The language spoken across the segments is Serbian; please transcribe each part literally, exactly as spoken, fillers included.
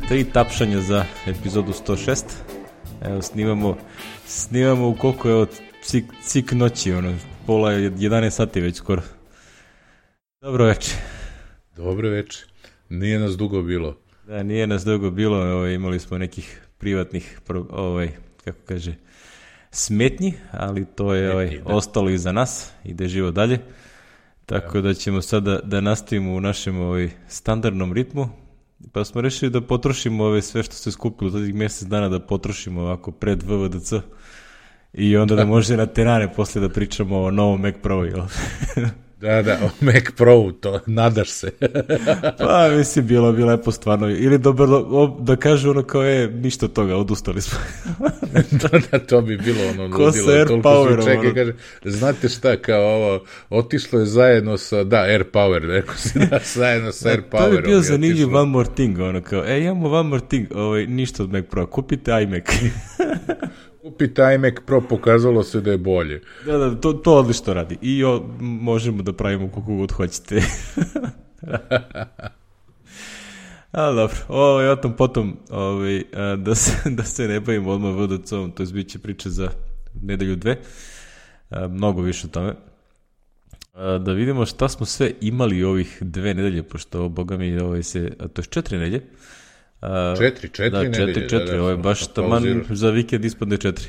tri tapšanja za epizodu sto šest. Evo, snimamo, snimamo u koliko je od cik, cik noći, ono, pola jedanaest sati već skoro. Dobro večer. Dobro večer. Nije nas dugo bilo. Da, nije nas dugo bilo, ovaj, imali smo nekih privatnih, ovaj, kako kaže, smetnji, ali to je ovaj, ostalo iza nas, ide živo dalje. Tako da ćemo sada da nastavimo u našem ovaj, standardnom ritmu. Pa smo rešili da potrošimo ove sve što se skupilo tadih mjesec dana, da potrošimo ovako pred V V D C i onda da može na terane posle da pričamo o novom Mac Pro. Da, da, o Mac Pro, to nadaš se. Pa mislim, bilo bi lepo stvarno. Ili dobro, da kažu ono kao je, ništa od toga, odustali smo. da, da, to bi bilo ono ko sa Air Powerom. Ono. Kaže, znate šta, kao ovo, otišlo je zajedno sa, da, Air Power, rekao si da, zajedno sa Air Powerom. To bi bio zanimljiv one more thing, ono kao, e, imamo one more thing, ovaj, ništa od Mac Pro, kupite iMac. Kupite iMac Pro, pokazalo se da je bolje. Da, da, to, to odlično radi. I o, možemo da pravimo koliko god hoćete. A dobro, ovaj, o tom potom, ovaj, da, se, da se ne bavimo odmah V D C-om, to je bit će priče za nedelju dve. A, mnogo više o tome. A, da vidimo šta smo sve imali ovih dve nedelje, pošto, boga mi, ovaj se, a to je četiri nedelje. Uh, četiri, četiri da, nedelje. Četiri, četiri, da, da, ovo je baš taman za vikend ispadne četiri.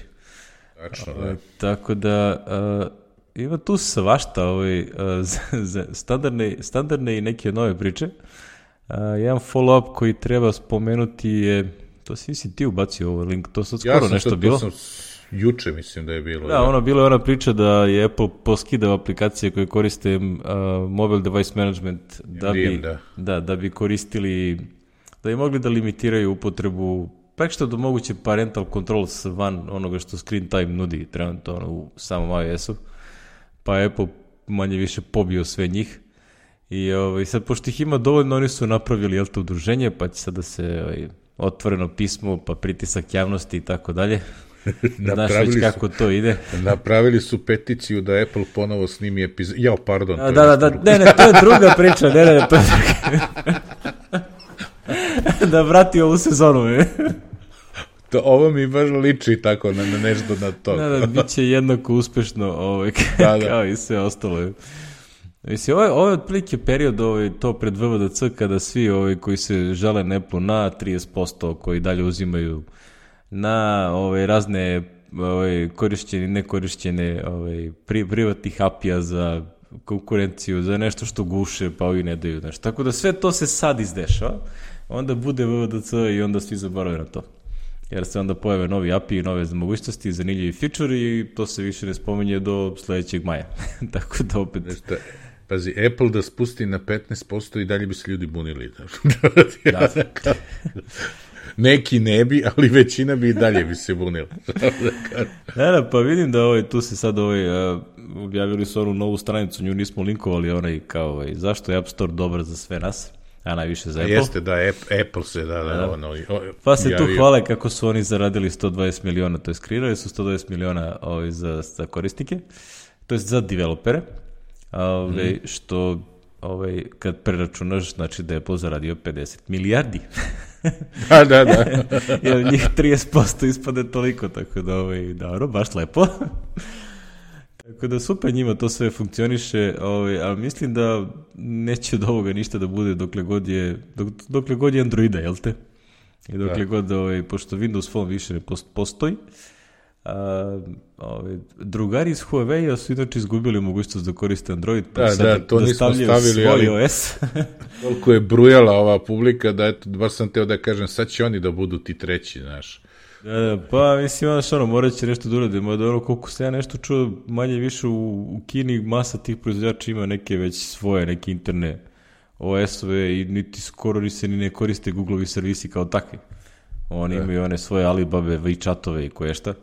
Tačno, da. Uh, tako da, uh, ima tu svašta, ovaj, uh, za, za standardne, standardne i neke nove priče. Uh, jedan follow-up koji treba spomenuti je, to si mislim ti ubacio ovaj link, to sad skoro ja nešto sad, bilo. Ja sam juče mislim da je bilo. Da, da. ono bilo je ona priča da je Apple poskidao aplikacije koje koriste uh, mobile device management da bi, da. Da, da bi koristili, da bi mogli da limitiraju upotrebu, pa što da moguće parental controls van onoga što screen time nudi trenutno ono, u samom iOS-u, pa Apple manje više pobio sve njih i ovaj, sad pošto ih ima dovoljno, oni su napravili jel to udruženje, pa će sad da se ovaj, otvoreno pismo, pa pritisak javnosti i tako dalje. Znaš već kako to ide. Napravili su peticiju da Apple ponovo snimi epizod. Jao, pardon. Da, da, da, ne, ne, to je druga priča, ne, ne, to je druga. Da vrati ovu sezonu, je. To, ovo mi baš liči tako na, na nešto na to. Da, da, bit će jednako uspešno ovaj, da, da. kao i sve ostalo. Mislim, ovo je, ovo je otprilike period ovaj, to pred V V D C kada svi ovaj, koji se žele na Apple na trideset posto koji dalje uzimaju na ovaj, razne ovaj, korišćene i nekorišćene ovaj, pri, privatnih apija za konkurenciju, za nešto što guše, pa ovi ne daju nešto. Tako da sve to se sad izdešava, onda bude V V D C i onda svi zaborave na to. Jer se onda pojave novi A P I, nove mogućnosti, zanimljivi feature i to se više ne spominje do sledećeg maja. Tako da opet... Nešto, pazi, Apple da spusti na petnaest posto i dalje bi se ljudi bunili. Da. Neki ne bi, ali većina bi i dalje bi se bunila. Da, da, pa vidim da ovaj, tu se sad ovaj, uh, objavili su onu novu stranicu, nju nismo linkovali, onaj kao ovaj, zašto je App Store dobar za sve nas, a najviše za Apple. Jeste, da, Apple se, da, da, da. Ono, o, pa se javio. Tu hvale kako su oni zaradili sto dvadeset miliona, to je kreirali su sto dvadeset miliona ovaj, za, za korisnike, to je za developere, ovaj, mm. što ovaj, kad preračunaš, znači da je Apple zaradio pedeset milijardi. Da, da, da. Jer njih trideset posto ispade toliko, tako da, ovaj, dobro, baš lepo. Tako da super njima to sve funkcioniše, ovaj, ali mislim da neće od ovoga ništa da bude dokle god je, dok, dokle god je Androida, jel te? I dokle da. god, ovaj, pošto Windows Phone više ne postoji, a, ovaj, drugari iz Huawei su inače izgubili mogućnost da koriste Android, pa da, sad da, to da stavljaju svoj ali, O S. Toliko je brujala ova publika da, eto, baš sam teo da kažem, sad će oni da budu ti treći, znaš. Da, pa mislim, znaš, ono, morat će nešto da uradimo, da ono, koliko se ja nešto čuo, manje više u, u Kini masa tih proizvođača ima neke već svoje, neke interne O S-ove i niti skoro ni se ni ne koriste Google-ovi servisi kao takvi. Oni da. imaju one svoje Alibabe, WeChat-ove i koje šta.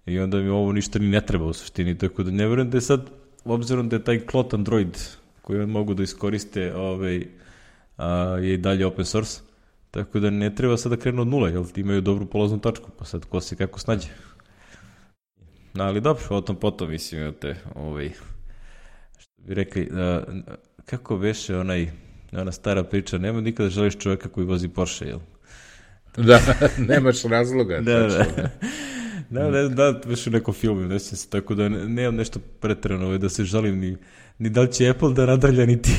I onda mi ovo ništa ni ne treba u suštini, tako da ne verujem da je sad, obzirom da je taj klot Android koji on mogu da iskoriste, ovaj, a, je i dalje open source, tako da ne treba sad da krenu od nula, jer imaju dobru polaznu tačku, pa sad ko se kako snađe. No, ali dobro, o tom potom mislim, te, ovaj, što bi rekli, a, kako beše onaj, ona stara priča, nema nikada želiš čovjeka koji vozi Porsche, jel? Da, nemaš razloga. Da, da. Da, ne, da, već u nekom filmu, ne sjećam se, tako da ne, nemam nešto pretjerano da se žalim ni, ni da li će Apple da nadrlja, niti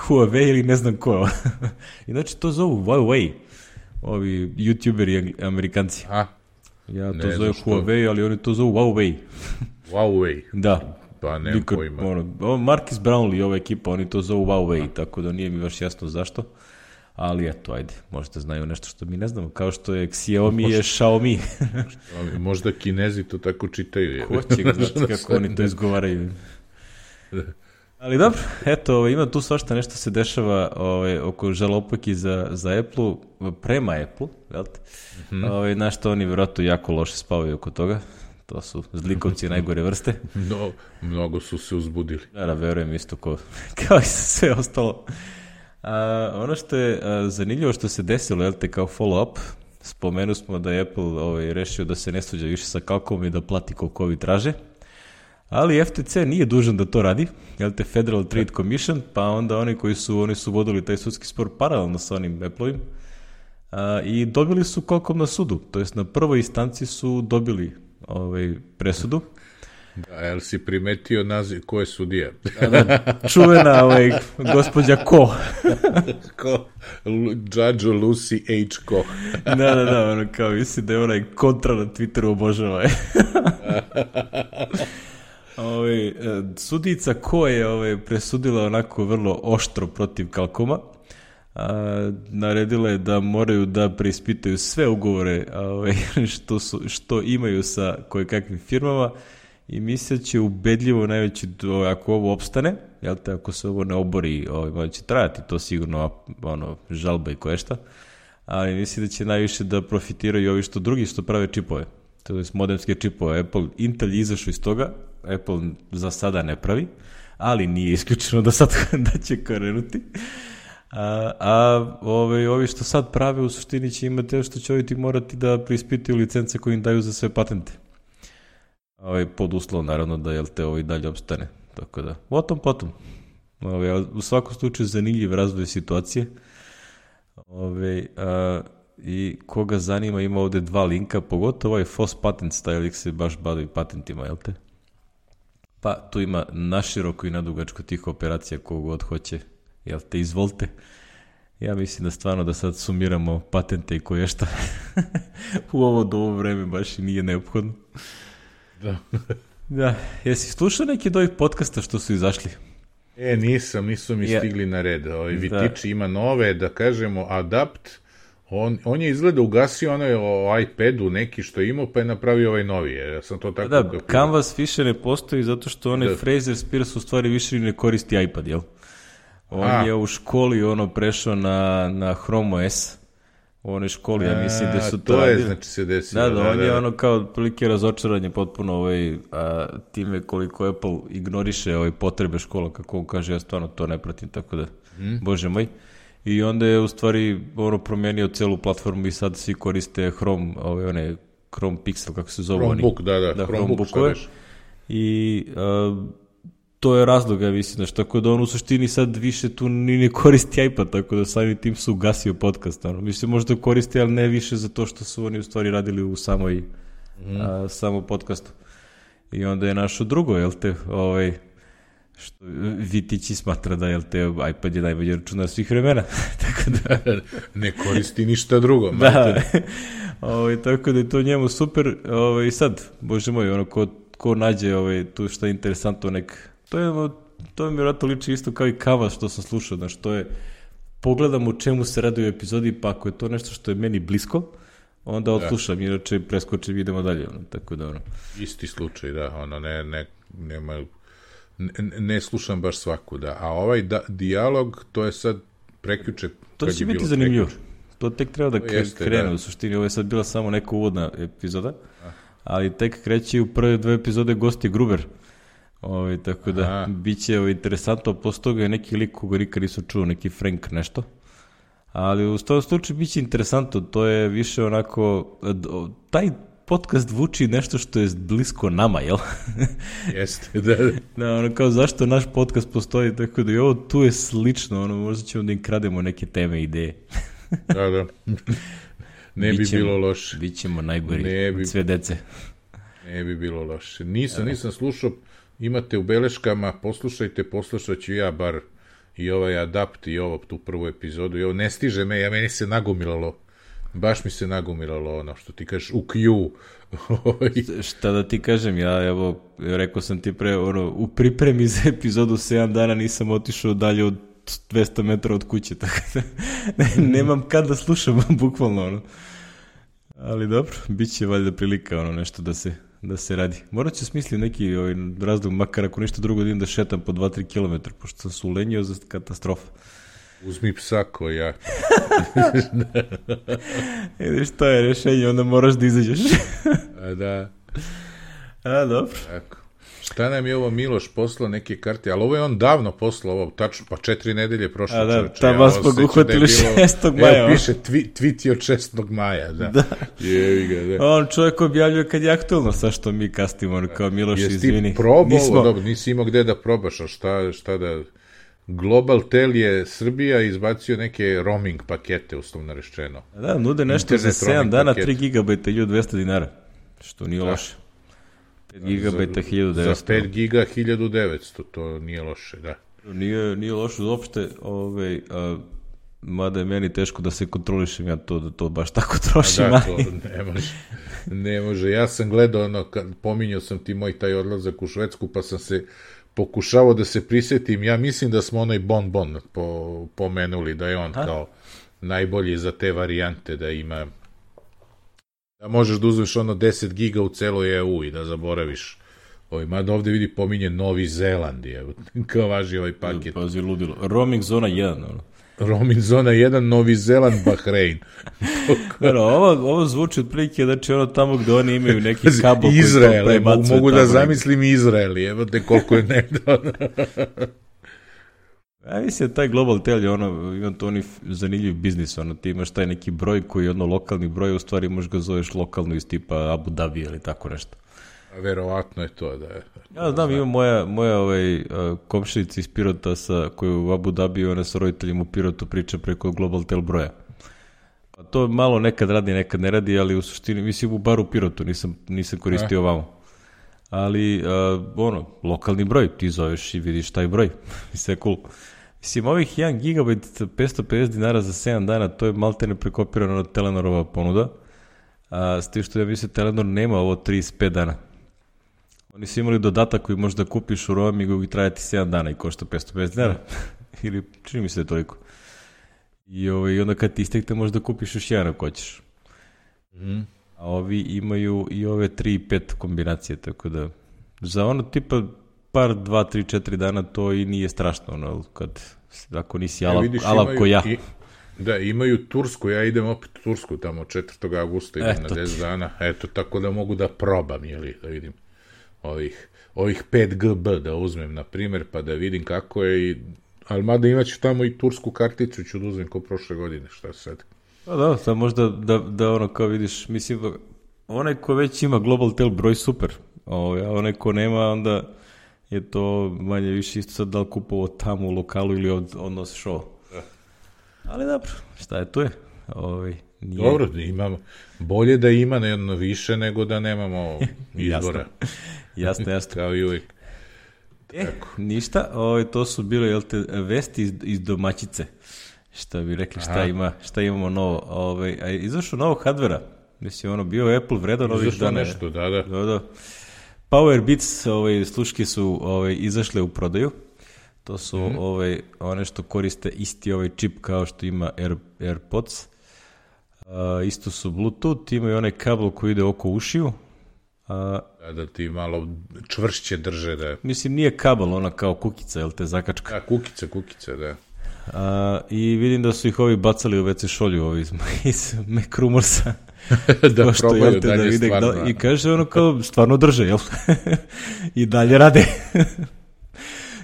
Huawei ili ne znam ko. Inače to zovu Huawei, ovi youtuberi Amerikanci. A, ja to zovem Huawei, ali oni to zovu Huawei. Huawei? Da. Pa nemam pojma. Ono, Marcus Brownlee i ova ekipa, oni to zovu Huawei, A. tako da nije mi baš jasno zašto. Ali eto, ajde, možda znaju nešto što mi ne znamo, kao što je Xiaomi možda, je Xiaomi. Možda Kinezi to tako čitaju. Ko će ga znati kako oni to izgovaraju. Ali dobro, eto, ima tu svašta nešto se dešava ovaj, oko žalopaki za, za Apple, prema Apple, jel te? Mm-hmm. Ovaj, znaš što oni vjerojatno jako loše spavaju oko toga. To su zlikovci najgore vrste. No, mnogo su se uzbudili. Da, da, verujem isto ko, kao i sve ostalo. A, ono što je a, zanimljivo što se desilo, jel te, kao follow-up, spomenu smo da je Apple ovaj, rešio da se ne svađa više sa Qualcommom i da plati koliko ovi traže, ali F T C nije dužan da to radi, jel te, Federal Trade Commission, pa onda oni koji su, oni su vodili taj sudski spor paralelno sa onim Apple-ovim a, i dobili su Qualcomm na sudu, to jest na prvoj instanci su dobili ovaj, presudu. Da, jel si primetio naziv, ko je sudija? Da, da, čuvena ovaj, gospođa Ko. Ko? Judge Lucy H. Ko. Da, da, da, ono kao misli da je onaj kontra na Twitteru obožava. Ove, sudica Ko je ove, presudila onako vrlo oštro protiv Qualcomma. A, naredila je da moraju da preispitaju sve ugovore ove, što, su, što imaju sa kojekakvim firmama i misle će ubedljivo najveći, ako ovo opstane, jel te, ako se ovo ne obori, ovaj, će trajati to sigurno, ono, žalba i koješta, ali misli da će najviše da profitiraju ovi što drugi što prave čipove, to je modemske čipove. Apple, Intel je izašao iz toga, Apple za sada ne pravi, ali nije isključeno da sad da će krenuti. A, a ove, ovi što sad prave u suštini će imati što će ovi ti morati da preispitaju licence koje im daju za sve patente. Ovaj, pod uslovom naravno da jel te ovaj dalje opstane. Tako da, o tom potom. Ovaj, u svakom slučaju zanimljiv razvoj situacije. Ovaj, a, i koga zanima ima ovde dva linka, pogotovo ovaj F O S Patents, taj lik se baš bavi patentima, jel te? Pa tu ima naširoko i nadugačko tih operacija kogod hoće, jel te, izvolite. Ja mislim da stvarno da sad sumiramo patente i koješta u ovo do ovo vreme baš i nije neophodno. Da. Da, jesi slušao neki od ovih podcasta što su izašli? E, nisam, nisu mi ja. stigli na red. Ovaj Vitiči ima nove, da kažemo, Adapt. On, on je izgleda ugasio onaj o iPadu neki što je imao, pa je napravio ovaj novi. Ja sam to tako... Da, da Canvas više ne postoji zato što onaj Fraser Spears u stvari više ne koristi iPad, jel? On A. je u školi ono prešao na, na Chrome O S. U onoj školi, ja mislim da su to, to radili. je, znači se desilo. Da, da, da, on da. je ono kao prilike razočaranje potpuno ovaj, a, time koliko Apple ignoriše ovaj, potrebe škola, kako on kaže, ja stvarno to ne pratim, tako da, mm. bože moj. I onda je u stvari ono promenio celu platformu i sad svi koriste Chrome, ovaj, one, Chrome Pixel, kako se zove oni. Chromebook, da, da, da Chromebook šta veš. I a, to je razlog, ja mislim, znači, tako da on u suštini sad više tu ni ne koristi iPad, tako da samim tim su ugasio podcast. Ono. Mislim, možda koristi, ali ne više za to što su oni u stvari radili u samoj, mm. a, samom podcastu. I onda je našo drugo, jel te, ovaj, što Vitići smatra da, jel te, iPad je najbolji računar svih vremena. Tako da... ne koristi ništa drugo. Da, ovaj, tako da je to njemu super. Ovaj, sad, bože moj, ono, ko, ko nađe ovaj, tu što je interesantno, nek... To je, to je mi vjerojatno liči isto kao i Kava što sam slušao, znaš, to je, pogledam u čemu se radi u epizodi, pa ako je to nešto što je meni blisko, onda odslušam, inače preskočim i idemo dalje, ono, tako da, ono. Isti slučaj, da, ono, ne, ne, nema, ne, ne slušam baš svaku, da, a ovaj da, dijalog, to je sad prekjuče. To će biti zanimljivo, prekjuče. To tek treba da Jeste, krene, da. U suštini, ovo je sad bila samo neka uvodna epizoda, a. ali tek kreće u prve dve epizode gosti Gruber. Ovi, tako da, Aha. bit će ovo interesantno, posle toga je neki lik koga nikad nisam čuo, neki Frank nešto, ali u tom slučaju bit će interesantno, to je više onako, taj podcast vuči nešto što je blisko nama, jel? Jeste, da. Da, ono kao zašto naš podcast postoji, tako da i ovo tu je slično, ono, možda ćemo da im krademo neke teme, ideje. Da, da. ne bi Bićemo, bilo loše. Bićemo najgori ne bi, od sve dece. Ne bi bilo loše. Nisam, nisam slušao, imate u beleškama, poslušajte, poslušat ću ja bar i ovaj Adapt i ovo tu prvu epizodu. I ovo ne stiže me, ja meni se nagomilalo. Baš mi se nagomilalo ono što ti kažeš u Q. Šta da ti kažem, ja evo, rekao sam ti pre, ono, u pripremi za epizodu sedam dana nisam otišao dalje od dvesta metara od kuće, tako da nemam kad da slušam, bukvalno, ono. Ali dobro, bit će valjda prilika, ono, nešto da se, da se radi. Morat ću smisliti neki ovaj, razlog, makar ako ništa drugo da idem da šetam po dva do tri kilometra, pošto sam se ulenio za katastrofa. Uzmi psa ko ja. Vidiš, to je rešenje, onda moraš da izađeš. A da. A, dobro. Tako. Šta nam je ovo Miloš poslao neke karte, ali ovo je on davno poslao, ovo tačno, pa četiri nedelje prošlo. A da, čoveče, tam vas smo uhvatili šestog maja. Evo, piše, tvi, tweet je od šestog maja, da. Da. Jevi ga, da. On čovjek objavljuje kad je aktualno, sa što mi kastimo, ono kao Miloš, Jesi izvini. Jesi ti probao, Nismo... dobro, nisi imao gde da probaš, a šta, šta da... Global Tel je Srbija izbacio neke roaming pakete, uslovno rečeno. Da, nude nešto internet za sedam dana, paket. tri gigabajta, hiljadu dvesta dinara, što nije da. Loše. pet gigabajta, hiljadu devetsto. Za pet giga, hiljadu devetsto, to nije loše, da. Nije, nije loše uopšte, ovaj, a, mada je meni teško da se kontrolišem, ja to, da to baš tako trošim. A da, to ne može, ne može. Ja sam gledao, ono, kad pominjao sam ti moj taj odlazak u Švedsku, pa sam se pokušavao da se prisjetim, ja mislim da smo onaj Bon Bon po, pomenuli, da je on ha? Kao najbolji za te varijante, da ima, da možeš da uzmeš ono deset giga u celoj E U i da zaboraviš. Ovaj, mada ovde vidi pominje Novi Zeland, evo, kao važi ovaj paket. Pazi, ludilo. Roaming zona jedan, ono. Roaming zona jedan, Novi Zeland, Bahrein. Ano, ovo, ovo zvuči otprilike, znači ono tamo gde oni imaju neki kabel Izrael, koji to mogu, mogu da zamislim Izrael, evo te koliko je nedavno. Ja mislim da taj Global Tel je ono, ima to oni zanimljiv biznis, ono, ti imaš taj neki broj koji je ono lokalni broj, u stvari možeš ga zoveš lokalno iz tipa Abu Dhabi ili tako nešto. A verovatno je to da je. Ja znam, ima moja, moja ovaj, komšinica iz Pirota sa, koja je u Abu Dhabi, ona sa roditeljima u Pirotu priča preko Global Tel broja. Pa to malo nekad radi, nekad ne radi, ali u suštini, mislim u baru u Pirotu, nisam, nisam koristio ovamo. Ali, uh, ono, lokalni broj, ti zoveš i vidiš taj broj. Sve je cool. Mislim, ovih jedan gigabajt petsto pedeset dinara za sedam dana, to je maltene prekopirano od Telenorova ponuda. A, s tim što ja mislim, Telenor nema ovo trideset pet dana. Oni su imali dodatak koji možeš da kupiš u roamingu i trajati sedam dana i košta petsto pedeset dinara. Ili čini mi se da je toliko. I, ovaj, I onda kad ti istekte možeš da kupiš još jedan ako hoćeš. Mm. A ovi imaju i ove tri i pet kombinacije, tako da za ono tipa par, dva, tri, četiri dana to i nije strašno, ono, kad, ako nisi alav, ja, alav ko ja. I, da, imaju Tursku, ja idem opet u Tursku tamo četvrtog avgusta, idem Eto na deset dana, eto, tako da mogu da probam, jeli, da vidim ovih, ovih pet G B da uzmem, na primjer, pa da vidim kako je, i, ali mada imaću tamo i tursku karticu, ću da uzmem ko prošle godine, šta sad. Pa da, sad možda da, da ono kao vidiš, mislim, onaj ko već ima Global Tel broj super, o, a onaj ko nema, onda je to manje više isto sad da li kupovo tamo u lokalu ili od, odnosiš ovo. Da. Ali dobro, šta je, to je. Ovaj, nije... Dobro, imamo, bolje da ima jedno više nego da nemamo izbora. Jasno, jasno. Kao i uvijek. E, ništa, ovaj, to su bile, jel te, vesti iz, iz domaćice. Šta bi rekli, šta, ima, šta imamo novo. Ovaj, a izašao novog hardvera. Mislim, ono, bio Apple vredan ovih dana. Nešto, da, da. da, da. Powerbeats, ovaj, sluške su ovaj, izašle u prodaju. To su mm. ovaj, one što koriste isti ovaj čip kao što ima Air, AirPods. Uh, isto su Bluetooth, imaju onaj kabel koji ide oko ušiju. Uh, da, da ti malo čvršće drže. Da. Mislim, nije kabel, ona kao kukica, jel te zakačka? Da, kukica, kukica, da. Uh, I vidim da su ih ovi bacali u ve ce šolju ovi iz, iz Macrumorsa. da što, probaju dalje da vide, stvarno. Da, I kaže ono kao stvarno drže, jel? I dalje rade.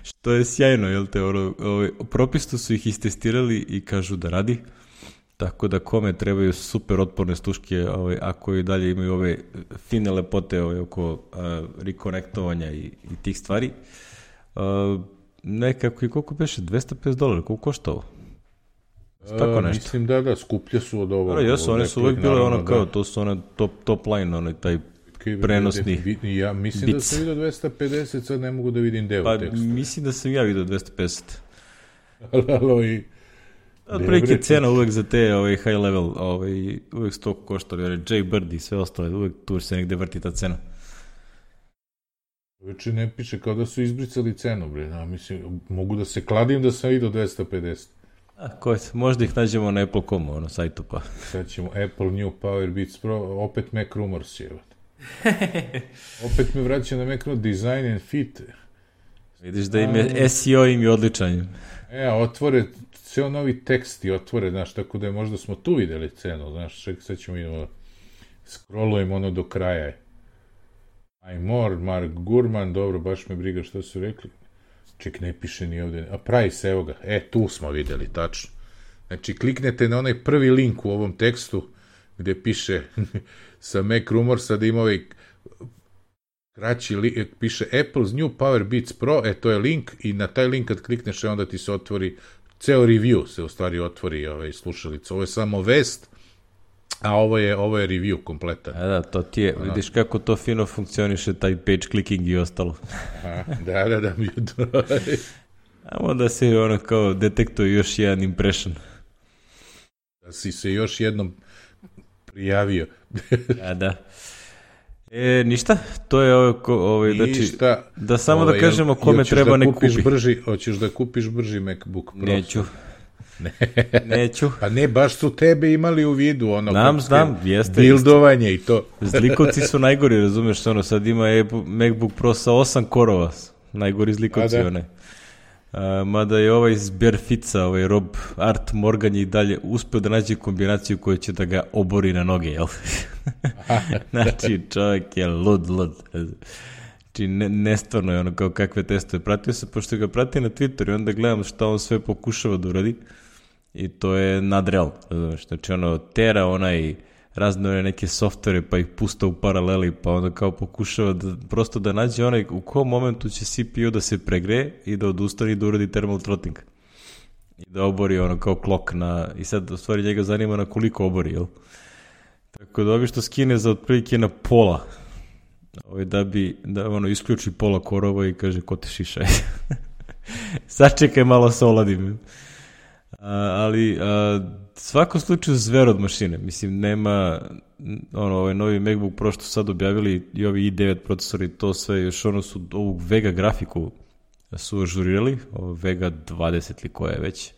Što je sjajno, jel te? Ono, ovaj, propisto su ih istestirali i kažu da radi. Tako da kome trebaju super otporne sluške, ovaj, ako i dalje imaju ove fine lepote ovaj, oko uh, rekonektovanja i, i tih stvari. Uh, nekako i koliko beše? dvesta pedeset dolara, koliko košta ovo? Tako A, nešto. mislim da, da, skuplje su od ovog. Dobro, jesu, od one su Apple-ih, uvek bile naravno, ono kao, da. to su one top, top line, onaj taj prenosni. Ja mislim da Beats. sam vidio dvesta pedeset, sad ne mogu da vidim deo Pa teksta. mislim da sam ja vidio dvesta pedeset. Alo i... Otprilike cena uvek za te ovaj, high level, ovaj, uvek sto koštali, ovaj, Jaybird i sve ostale, uvek tu se negde vrti ta cena. Veče ne piše, kao da su izbrisali cenu, bre. Ja, mislim, mogu da se kladim da sam vidio dvesta pedeset. A, ko je, možda ih nađemo na Apple dot com, ono, sajtu, pa. Sad ćemo Apple New Powerbeats Pro, opet Mac Rumors je. Opet me vraća na Mac Rumors, Design and Fit. Vidiš da im je, S E O im je odličan. E, a otvore, ceo novi tekst i otvore, znaš, tako da je možda smo tu videli cenu, znaš, ček, sad ćemo idemo, scrollujemo ono do kraja. I'm more, Mark Gurman, dobro, baš me briga što su rekli. Ček, ne piše ni ovde. A price, evo ga. E, tu smo videli, tačno. Znači, kliknete na onaj prvi link u ovom tekstu, gde piše sa Mac Rumorsa da ima ovaj kraći link, piše Apple's New Powerbeats Pro, e, to je link, i na taj link kad klikneš, onda ti se otvori, ceo review se u stvari otvori ovaj, slušalica. Ovo je samo vest, a ovo je, ovo je review kompletan. A da, to ti je, vidiš kako to fino funkcioniše, taj page clicking i ostalo. Aha, da, da, da, mi A onda se ono kao detektuje još jedan impression. Da si se još jednom prijavio. A da. E, ništa, to je ovo, ovaj, znači, Ništa. da samo Ovo, da kažemo kome hoćeš treba da ne kupiš kupi. Brži, hoćeš da kupiš brži MacBook Pro? Neću. Neću. Pa ne, baš su tebe imali u vidu, ono, Znam, kako znam, ste- jeste, bildovanje i to. Zlikovci su najgori, razumeš, ono, sad ima je MacBook Pro sa osam korova, najgori zlikovci, A, da. one. A, mada je ovaj iz Barefica, ovaj Rob Art Morgan je i dalje uspeo da nađe kombinaciju koja će da ga obori na noge, jel? Znači, čovjek je lud, lud. Znači, ne, nestvarno je ono kao kakve testove. Pratio se, pošto ga prati na Twitteru i onda gledam šta on sve pokušava da uradi. I to je nadreal, razumeš, znači ono, tera onaj razne one neke softvere pa ih pusta u paraleli, pa onda kao pokušava da, prosto da nađe onaj u kom momentu će C P U da se pregreje i da odustane i da uradi thermal throttling. I da obori ono kao klok na, i sad u stvari njega zanima na koliko obori, jel? Tako da ovi što skine za otprilike na pola, ovaj, da bi, da ono, isključi pola korova i kaže ko te šišaj. Sačekaj malo sa oladim. A, ali a, svakom slučaju zver od mašine, mislim nema ono, ovaj novi MacBook Pro što sad objavili i ovi i devet procesori, to sve još ono su ovu Vega grafiku su ažurirali, ovo Vega dvadeset ili koja je već,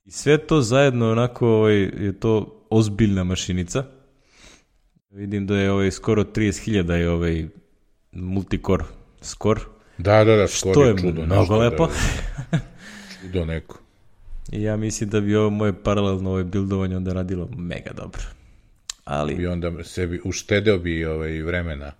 i sve to zajedno onako ovaj, je to ozbiljna mašinica. Vidim da je ovaj skoro trideset hiljada je ovaj multicore score, Da, da, da, skoro što je čudo. mnogo nešto, lepo. Da, čudo neko. I ja mislim da bi ovo moje paralelno ovaj buildovanje onda radilo mega dobro. Ali, I onda sebi uštedeo bi ovaj vremena.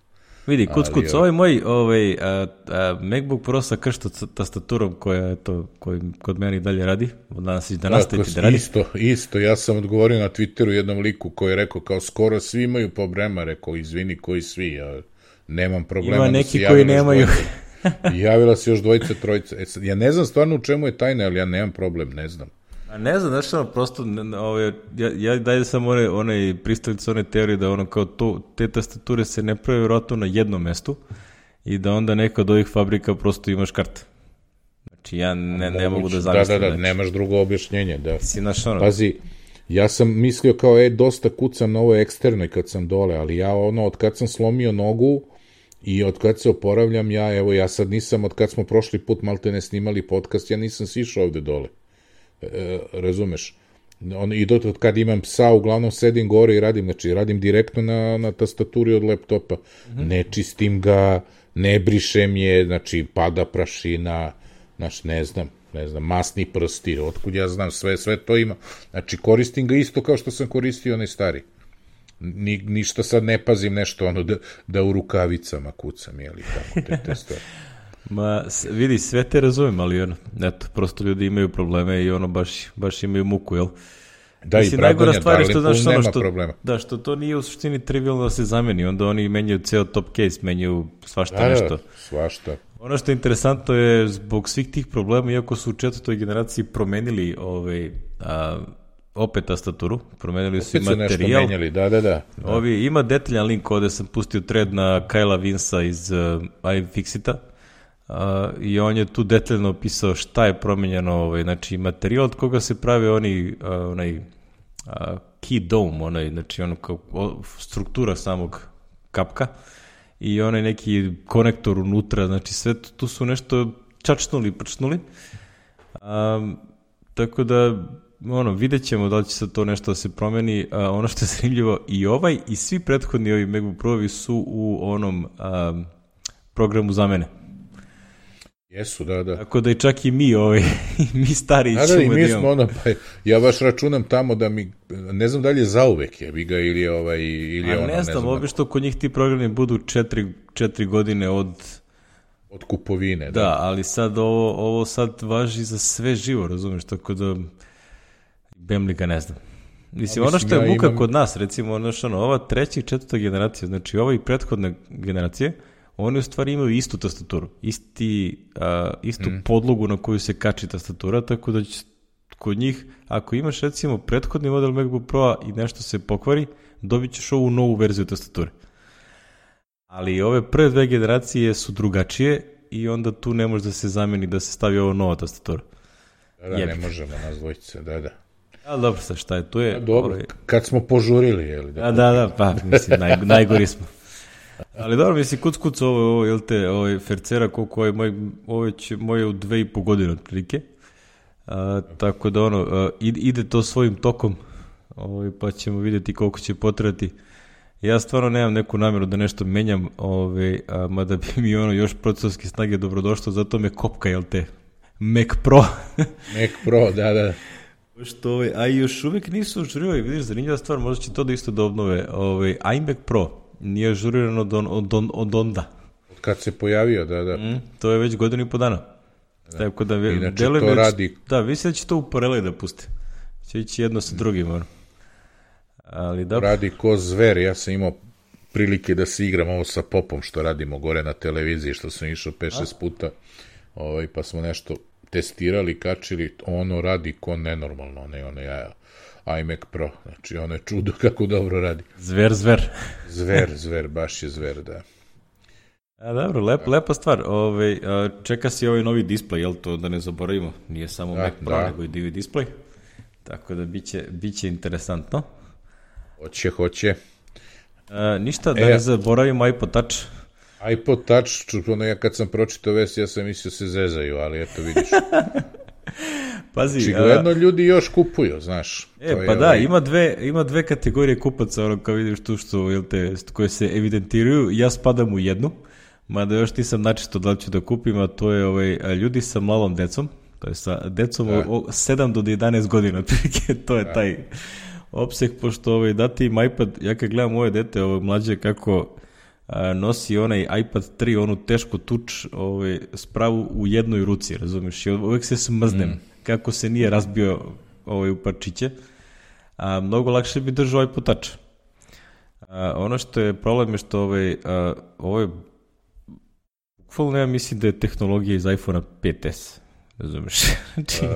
vidi, kuc, kuc, Ali, ovaj moj ovaj, a, a, MacBook Pro sa kršto tastaturom koja je to, koji kod mene i dalje radi, danas da nastaviti da radi. Isto, isto, ja sam odgovorio na Twitteru jednom liku koji je rekao kao skoro svi imaju problema, rekao izvini koji svi, ja nemam problema. Ima da neki se koji javila još nemaju. dvojica. Javila se još dvojica, trojica. E, sad, ja ne znam stvarno u čemu je tajna, ali ja nemam problem, ne znam. A ne znam, znaš ono, prosto, ovaj, ja, ja dalje sam one, one pristalice, one teorije da ono kao to, te tastature se ne prave vjerojatno na jednom mestu i da onda neka od ovih fabrika prosto imaš kart. Znači ja ne, ne mogu da zamislim. Da, da, da, znači. nemaš drugo objašnjenje, da. Si naš ono, Pazi, ja sam mislio kao, e, dosta kucam na ovoj eksternoj kad sam dole, ali ja ono, od kad sam slomio nogu i od kad se oporavljam, ja, evo, ja sad nisam, od kad smo prošli put malte ne snimali podcast, ja nisam sišao ovde dole. E, razumeš? On, i do od kad imam psa, uglavnom sedim gore i radim, znači radim direktno na, na tastaturi od laptopa. Mm-hmm. Ne čistim ga, ne brišem je, znači pada prašina, znači ne znam, ne znam, masni prsti, otkud ja znam, sve, sve to ima. Znači koristim ga isto kao što sam koristio onaj stari. Ni, ništa sad ne pazim nešto, ono, da, da u rukavicama kucam, jeli, tako, te, te stvari. ma, vidi, sve te razumem, ali ono, eto, prosto ljudi imaju probleme i ono, baš, baš imaju muku, jel? Da, Mislim, i najgora Dragonja, stvar je da, što, znaš, nema ono, što, problema. da, što to nije u suštini trivialno da se zameni, onda oni menjaju ceo top case, menjaju svašta Da, nešto. da, svašta. Ono što je interesantno je zbog svih tih problema, iako su u četvrtoj generaciji promenili ovaj, a, opet tastaturu, promenili su Opet i su nešto materijal. menjali, da, da, da. Ovi, ima detaljan link ovde sam pustio thread na Kajla Vinsa iz uh, iFixita uh, i on je tu detaljno opisao šta je promenjeno, ovaj, znači materijal od koga se prave oni, uh, onaj uh, key dome, onaj, znači ono kao o, struktura samog kapka i onaj neki konektor unutra, znači sve tu, tu su nešto čačnuli, prčnuli. Um, tako da ono, vidjet ćemo da li će se to nešto da se promeni. A, ono što je zanimljivo, i ovaj i svi prethodni ovi MacBook Pro-ovi su u onom a, programu zamene. Jesu, da, da. Tako da i čak i mi, ovaj, mi stari da, da, i mi smo ono, pa ja baš računam tamo da mi, ne znam da li je zauvek je, bi ga ili je ovaj, ili je ono, ne znam, obično kod njih ti programi budu četiri, četiri godine od od kupovine. Da, da, ali sad ovo, ovo sad važi za sve živo, razumiješ, tako da Bemlika ne znam. Mislim, ono što je ja muka imam... kod nas, recimo, ono što, ono, ova treća i četvrta generacija, znači ova i prethodne generacije, oni u stvari imaju istu tastaturu, isti, a, istu mm. podlogu na koju se kači tastatura, tako da će kod njih, ako imaš recimo prethodni model MacBook Pro i nešto se pokvari, dobit ćeš ovu novu verziju tastature. Ali ove prve dve generacije su drugačije i onda tu ne može da se zameni da se stavi ovo nova tastatura. Da, da, Jebik. Ne možemo nas dvojice, da, da. Ali dobro, sad šta je, tu je... A, dobro, ovaj... kad smo požurili, jel? Da, da, da, pa, mislim, naj, najgori smo. Ali dobro, mislim, kuc, kuc, ovo, ovo, jel te, ovaj Fercera, koliko je moj, ovo će moje u dve i po godine otprilike. A, tako da, ono, a, ide to svojim tokom, ovaj, pa ćemo vidjeti koliko će potrebati. Ja stvarno nemam neku namjeru da nešto menjam, ovaj, a, mada bi mi ono još procesorske snage dobrodošlo, zato me kopka, jel te, Mac Pro. Mac Pro, da, da. Što, ovaj, a još uvijek nisu ažurirali, vidiš, zanimljiva stvar, možda će to da isto da obnove. Ovaj, iMac Pro nije ažuriran od, od, od, od onda. Kad se pojavio, da, da. Mm, to je već godinu i po dana. Da. Tako da, inače to već, radi... Da, mislim da će to u paraleli da puste. Će ići jedno sa drugim, ono. Ali da... Radi ko zver, ja sam imao prilike da se igram ovo sa Popom, što radimo gore na televiziji, što sam išao pet šest puta, ovaj, pa smo nešto testirali, kačili, ono radi ko nenormalno, ne ono ja, iMac Pro, znači ono je čudo kako dobro radi. Zver, zver. Zver, zver, baš je zver, da. A dobro, lep, lepa stvar, Ove, čeka si ovaj novi display, jel to da ne zaboravimo, nije samo da, Mac Pro, da. Nego i D V display, tako da biće, biće interesantno. Hoće, hoće. A, ništa, da e, ne zaboravimo iPod Touch. iPod Touch, ono ja kad sam pročitao vest, ja sam mislio se zezaju, ali eto vidiš. Pazi, očigledno a... ljudi još kupuju, znaš. E, to pa da, ovaj... ima, dve, ima dve kategorije kupaca, ono kao vidiš tu što, jel te, koje se evidentiraju, ja spadam u jednu, mada još nisam načisto da li ću da kupim, a to je ovaj, ljudi sa malom decom, to je sa decom od sedam do jedanaest godina, to je da. Taj opseg, pošto ovaj, dati im iPad, ja kad gledam moje dete, ovo mlađe, kako a, nosi onaj iPad tri, onu tešku tuč, ovaj, spravu u jednoj ruci, razumiješ, i uvek se smrznem, mm. kako se nije razbio ovaj, u parčiće, a mnogo lakše bi držao iPod Touch. A, ono što je problem je što ovaj, a, ovo je bukvalno, ja mislim da je tehnologija iz iPhone pet es, razumiješ? Znači, uh,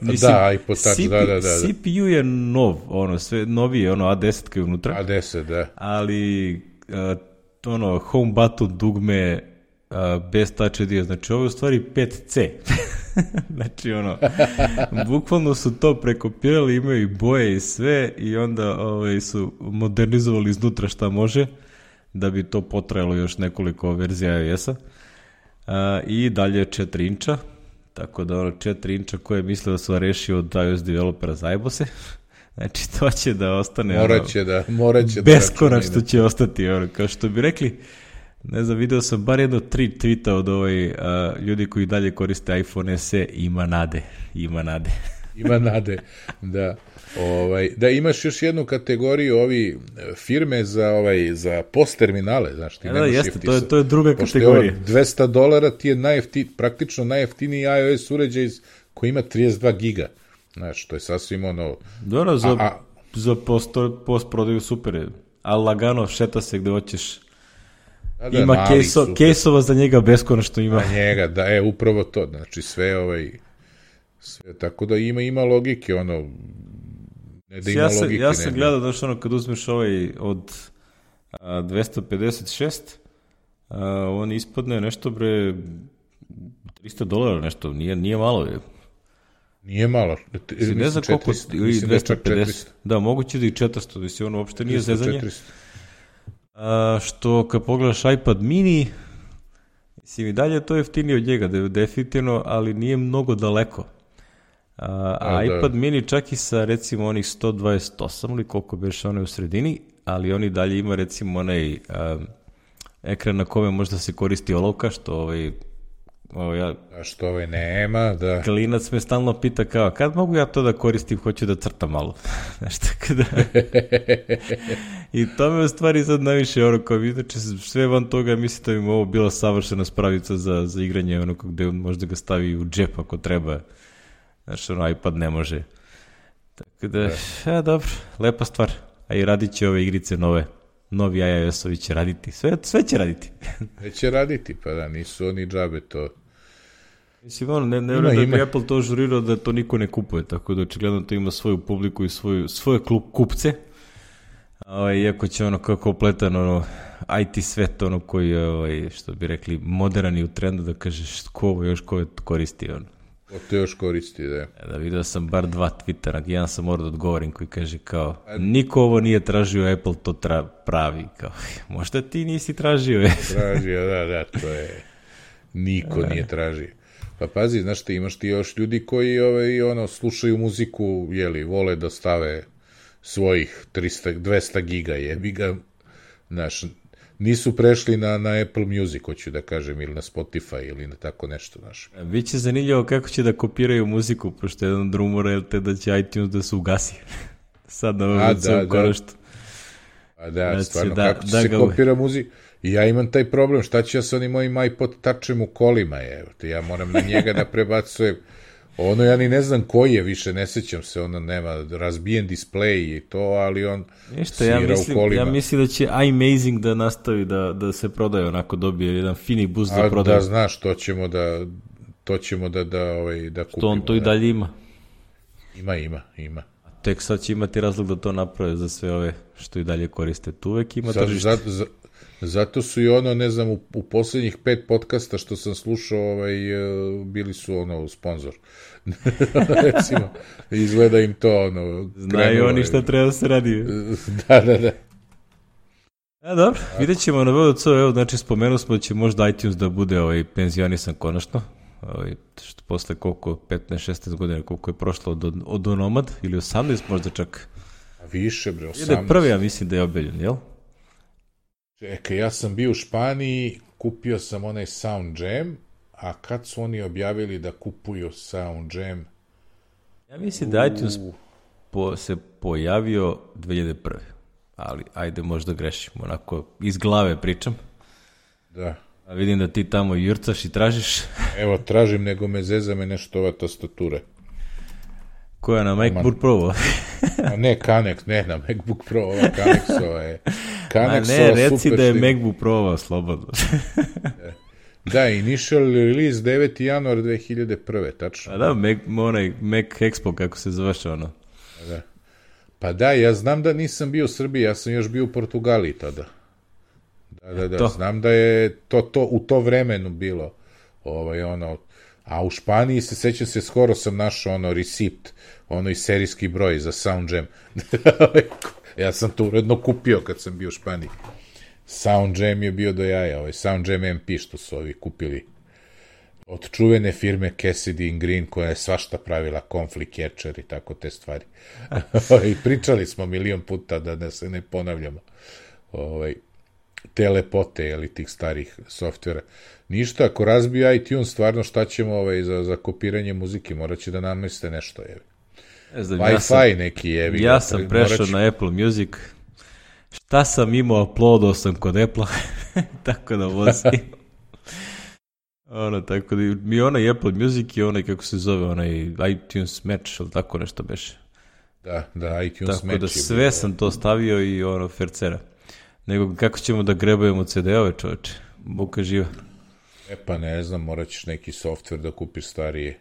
mislim, da, iPod Touch, C P, da, da, da. C P U je nov, ono, sve novije, ono, A deset koji je unutra. A deset, da. Ali, uh, ono, home button, dugme, uh, bez Touch I D, znači ovo je u stvari pet C. Znači, ono, bukvalno su to prekopirali, imaju i boje i sve i onda ovaj, su modernizovali iznutra šta može, da bi to potrajalo još nekoliko verzija iOS-a. Uh, I dalje četiri inča, tako da ono četiri inča koje misle da su rešio od iOS developera zajebo se. Znači to će da ostane morat će da, morat će beskonačno što će ostati, ono, kao što bi rekli, ne znam, video sam bar jedno tri tweeta od ovaj, uh, ljudi koji dalje koriste iPhone S E, ima nade, ima nade. Ima nade, da. Ovaj, da imaš još jednu kategoriju ovi firme za ovaj za post terminale, znaš, ti ja, nemaš da, jeste, to je to je druga pošto kategorija. Pošto dvesta dolara ti je najjeftin, praktično najjeftiniji iOS uređaj koji ima trideset dva giga. Znaš, to je sasvim ono... Dobro, za, a, a, za post, post prodaju super je, ali lagano šeta se gde hoćeš. Da, da, ima kejso, kejsova za njega beskonačno ima. Na njega, da, je upravo to, znači sve ovaj... Sve, tako da ima, ima logike, ono, ne da ima ja sam, logike. Ja sam ne, gledao, znaš, ono, kad uzmeš ovaj od a, dvesta pedeset šest, a, on ispadne nešto, bre, trista dolara nešto, nije, nije malo, je. Nije malo. Mislim, ne znam koliko, ili dvesta pedeset. Da, moguće da i četiristo, mislim, ono uopšte nije zezanje. A, što kad pogledaš iPad mini, mislim, i dalje to je jeftinije od njega, definitivno, ali nije mnogo daleko. A, a, a iPad da. mini čak i sa, recimo, onih sto dvadeset osam ili koliko beše one u sredini, ali oni dalje ima, recimo, onaj a, ekran na kome možda se koristi olovka, što ovaj... O, ja, a što ovaj nema, da. Klinac me stalno pita kao, kad mogu ja to da koristim, hoću da crtam malo. Znaš, tako da... I to me u stvari sad najviše, ono, kao znači, sve van toga, mislim da bi mu ovo bila savršena spravica za, za igranje, ono, gde možda ga stavi u džep ako treba. Znaš, ono, iPad ne može. Tako da, da. Ja, dobro, lepa stvar. A i radit će ove igrice nove. Novi iOS-ovi će raditi. Sve, sve će raditi. Sve će raditi, pa da, nisu oni džabe to. Mislim, ono, ne, ne vjerujem da bi Apple to žurirao da to niko ne kupuje, tako da očigledno to ima svoju publiku i svoju, svoje klub, kupce. Ovaj, iako će ono kao kompletan ono, I T svet, ono koji je, ovaj, što bi rekli, moderan i u trendu, da kažeš ko ovo još ko koristi. Ono. Ko to još koristi, da. Da, vidio sam bar dva Twittera, jedan sam morao da odgovorim koji kaže kao, niko ovo nije tražio, Apple to tra pravi. Kao, možda ti nisi tražio. Tražio, da, da, to je, niko nije tražio. Pa pazi, znaš ti, imaš ti još ljudi koji ovaj, ono, slušaju muziku, jeli, vole da stave svojih tristo, dvesta giga, jebi ga, znaš, nisu prešli na, na Apple Music, hoću da kažem, ili na Spotify, ili na tako nešto, znaš. Biće zanimljivo kako će da kopiraju muziku, pošto jedan od rumora je te da će iTunes da se ugasi. Sad na ovom celom korištu. A da, znači, stvarno, da, kako će da se kopira muzika? I ja imam taj problem, šta ću ja sa onim mojim iPod Touchem u kolima, je, ja moram na njega da prebacujem, ono ja ni ne znam koji je više, ne sećam se, ono nema razbijen display i to, ali on Ništa, svira ja mislim, u kolima. Ja mislim da će iMazing da nastavi da, da se prodaje, onako dobije jedan fini boost za prodaju. Da, znaš, to ćemo da, to ćemo da, da, ovaj, da kupimo. Što on to i dalje ima. Ima, ima, ima. Tek sad će imati razlog da to naprave za sve ove što i dalje koriste. Tu uvek ima sad, tržište. Za, za, zato su i ono, ne znam, u, u poslednjih pet podcasta što sam slušao, ovaj, bili su ono sponsor. Recimo, izgleda im to ono... Znaju krenulo, oni šta treba da se radi. Da, da, da. A dobro, vidjet ćemo na V D C, evo, znači spomenuo smo da će možda iTunes da bude ovaj, penzionisan konačno. Ovaj, što posle koliko, petnaest šesnaest godina, koliko je prošlo od, od Onomad, ili osamnaest možda čak. A više, bre, osamnaest. Ide prvi, ja mislim da je objavljen, jel? Čekaj, ja sam bio u Španiji, kupio sam onaj Sound Jam, a kad su oni objavili da kupuju Sound Jam? Ja mislim da iTunes po, se pojavio dve hiljade prve. Ali, ajde, možda grešim, onako, iz glave pričam. Da. A vidim da ti tamo jurcaš i tražiš. Evo, tražim, nego me zeza me nešto ova tastatura. Koja na MacBook Pro? A ne, Kanex, ne na MacBook Pro, ova Kanexova je. Kanexova, ne, reci da je šlim. MacBook Pro slobodno. Da, initial release deveti januar dve hiljade prve, tačno. A da, Mac, onaj Mac Expo, kako se zvaše ono. Da. Pa da, ja znam da nisam bio u Srbiji, ja sam još bio u Portugaliji tada. Da, da, da, to. Znam da je to, to u to vremenu bilo. Ovaj, ono, a u Španiji se, sećam se, skoro sam našao ono receipt, ono i serijski broj za Sound Jam. Ja sam to uredno kupio kad sam bio u Španiji. Sound Jam je bio do jaja, ovaj Sound Jam M P što su ovi kupili od čuvene firme Cassidy and Green, koja je svašta pravila, Conflict Catcher i tako te stvari. I pričali smo milion puta da, da se ne ponavljamo. Ovaj, te lepote, jeli, tih starih softvera. Ništa, ako razbiju iTunes, stvarno šta ćemo ovaj, za, za kopiranje muzike, morat će da nameste nešto, jevi. Znam, Wi-Fi ja sam, neki, jevi. Ja sam prešao će... na Apple Music. Šta sam imao, uploadao sam kod Apple-a, tako da vozim. Ono, tako da mi onaj Apple Music i onaj, kako se zove, onaj iTunes Match, ili tako nešto beše. Da, da, iTunes tako Match. Tako da sve bilo... sam to stavio i ono, fercera. Nego kako ćemo da grebujemo ce de ove, čoveče? Buka živa. E pa ne znam, morat ćeš neki softver da kupiš starije.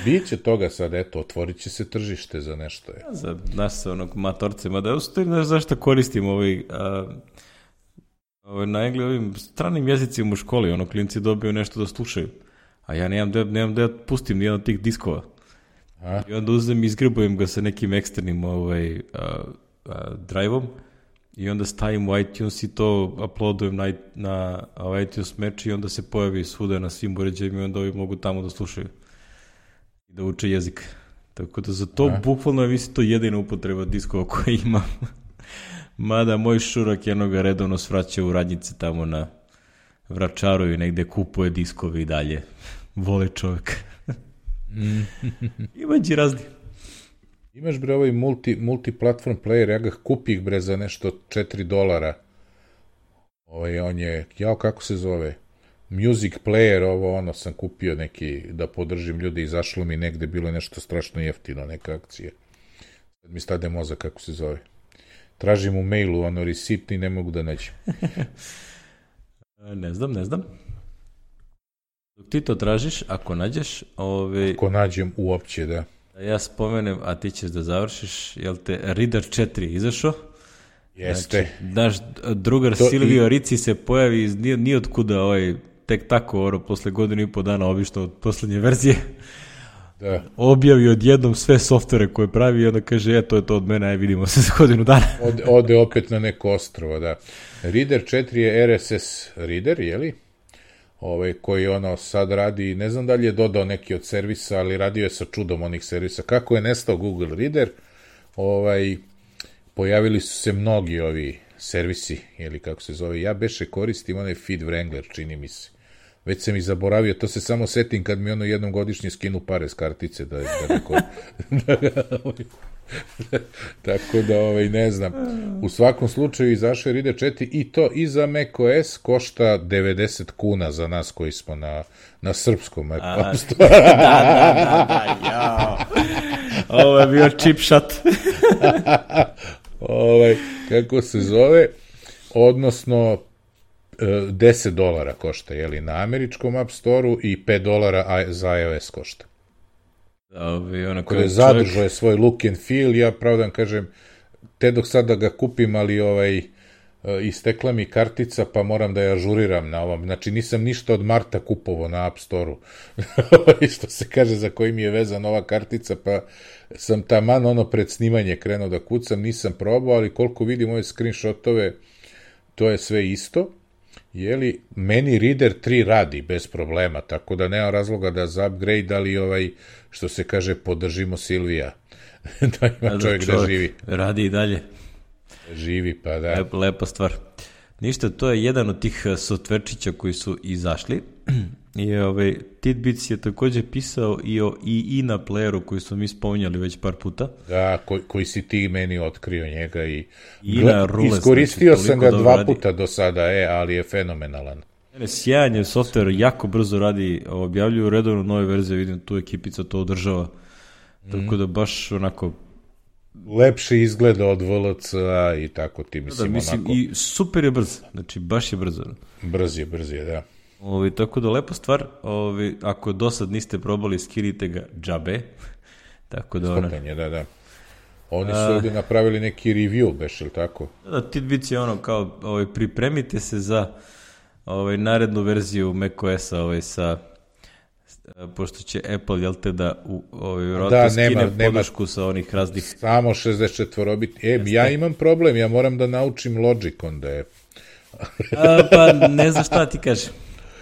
Biće toga sad, eto, otvorit će se tržište za nešto. Je. Za nas onog matorce, mada ja stoji, znaš zašto koristim ovaj, a, ovaj na engli, ovim stranim jezicima u školi, ono, klinci dobiju nešto da slušaju, a ja nemam da, nemam da ja pustim nijedan od tih diskova. A? I onda uzem i izgrebujem ga sa nekim eksternim ovaj, a, a, drive-om i onda stavim u iTunes i to uploadujem na, na, na iTunes Match i onda se pojavi svuda na svim uređajima i onda ovi mogu tamo da slušaju i da uče jezik. Tako da za to A? bukvalno je mislim to jedina upotreba diskova koje imam. Mada moj šurak jednoga redovno svraća u radnjice tamo na Vračaru i negde kupuje diskove i dalje. Vole čovjek. Imađi razni. Imaš bre ovaj multi, multiplatform player, ja ga kupih bre za nešto četiri dolara. Ovaj, on je, jao kako se zove, music player, ovo ono sam kupio neki da podržim ljude, izašlo mi negde, bilo nešto strašno jeftino, neka akcija. Sad mi stade mozak kako se zove. Tražim u mailu ono receipt i ne mogu da nađem. Ne znam, ne znam. Dok ti to tražiš, ako nađeš... Ove... Ako nađem uopće, da. Ja spomenem, a ti ćeš da završiš, jel te Reader četiri izašao? Jeste. Znači, naš drugar to Silvio i... Rici se pojavi iz nije, nije otkuda, ovaj, tek tako, oro, posle godinu i po dana, obično od poslednje verzije, da. Objavi odjednom sve softvere koje pravi i onda kaže, e, to je to od mene, aj vidimo se za godinu dana. Ode, ode opet na neko ostrovo, da. Reader četiri je R S S reader, jeli? Ovaj, koji ono sad radi, ne znam da li je dodao neki od servisa, ali radio je sa čudom onih servisa. Kako je nestao Google Reader, ovaj, pojavili su se mnogi ovi servisi, ili kako se zove, ja beše koristim onaj Feed Wrangler, čini mi se. Već sam i zaboravio, to se samo setim kad mi ono jednom godišnje skinu pare s kartice, da, da neko... Tako da, ovaj, ne znam. U svakom slučaju izašao je Reader četiri i to i za macOS košta devedeset kuna za nas koji smo na, na srpskom App Store. Da, da, da, da, jao. Ovo je bio chip shot. ovaj, kako se zove, odnosno deset dolara košta, jeli, na američkom App Store-u i pet dolara za iOS košta. Kada je zadržao je svoj look and feel, ja pravdan kažem, te dok sad da ga kupim, ali ovaj, istekla mi kartica, pa moram da je ažuriram na ovom. Znači, nisam ništa od marta kupovo na App Store-u. Što se kaže, za koji mi je vezana ova kartica, pa sam taman ono pred snimanje krenuo da kucam, nisam probao, ali koliko vidim ove screenshotove, to je sve isto. Jeli, meni Reader tri radi bez problema, tako da nema razloga da za upgrade, ali ovaj, što se kaže, podržimo Silvija. Da ima da, čovjek, čovjek da živi. Radi i dalje. Živi, pa da. Lep, lepa stvar. Ništa, to je jedan od tih softverčića koji su izašli. I ovaj, Tidbits je također pisao i o i i na playeru koji smo mi spominjali već par puta. Da, koji, koji si ti meni otkrio njega i Gle, iskoristio znači, sam ga dva radi. puta do sada, e, ali je fenomenalan. Sjajan je softver, jako brzo radi, objavljuju redovno nove verzije, vidim tu ekipica to održava. Mm. Tako da baš onako... Lepše izgleda od V L C-a i tako ti, mislim, da, mislim onako... I super je brz, znači baš je brzo. Brz je, brz je, da. Ovi, tako da lepa stvar, ovi, ako do sad niste probali, skinite ga džabe. Tako da ona... Stopanje, da, da. Oni su ovdje napravili neki review, beš, ili tako? Da, da, Tidbits je ono kao, ovaj, pripremite se za ovaj, narednu verziju macOS-a ovaj, sa, pošto će Apple, jel te, da u, ovaj, da, skine nema, podršku nema, sa onih raznih... Samo šezdeset četiri bit. E, Jeste. Ja imam problem, ja moram da naučim Logic, onda je... A, pa ne znam šta ti kažem.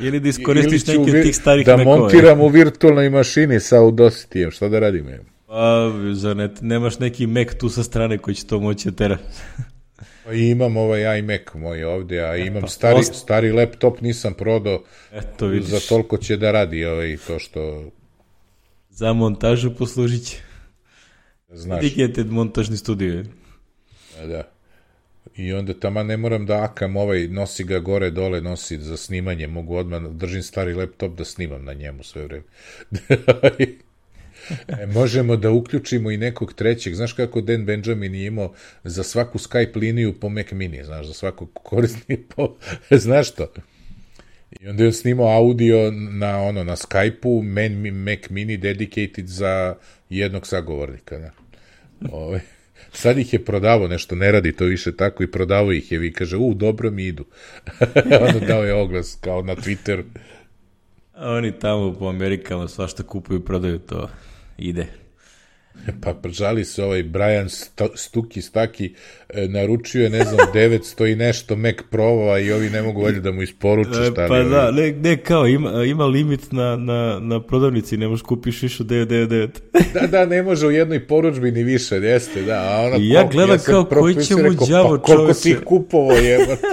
Ili da iskoristiš neki od tih starih da mekova. Da montiram u virtualnoj mašini sa Audacity-em, šta da radim? Pa, zar ne, nemaš neki Mac tu sa strane koji će to moći da tera? Pa imam ovaj iMac moj ovdje, a imam pa, stari, ost... stari laptop, nisam prodao, Eto, vidiš. Za toliko će da radi ovaj, to što... Za montažu poslužit će. Znaš. Vidite montažni studio. Da, da. I onda tamo ne moram da akam ovaj, nosi ga gore, dole, nosi za snimanje, mogu odmah, držim stari laptop da snimam na njemu sve vreme. e, možemo da uključimo i nekog trećeg, znaš kako Dan Benjamin je imao za svaku Skype liniju po Mac Mini, znaš, za svakog korisnika po, znaš to? I onda je on snimao audio na, ono, na Skype-u, Man, Mac Mini dedicated za jednog sagovornika. Ne? Ove, sad ih je prodavao nešto, ne radi to više tako i prodavao ih je, vi kaže, u, dobro mi idu. Onda dao je oglas kao na Twitteru. A oni tamo po Amerikama svašta kupuju i prodaju, to ide. Pa žali se ovaj Brian Stuki Staki, e, naručio je, ne znam, devetsto i nešto Mac Pro-ova i ovi ne mogu valjda da mu isporuče šta li. Pa ovi... da, ne, ne kao, ima, ima limit na, na, na prodavnici, ne možeš kupiš više od devet devet devet. Da, da, ne može u jednoj poručbi ni više, jeste, da. A ona, I ja gledam ja kao koji će mu đavo pa, koliko si ih kupovo jebate.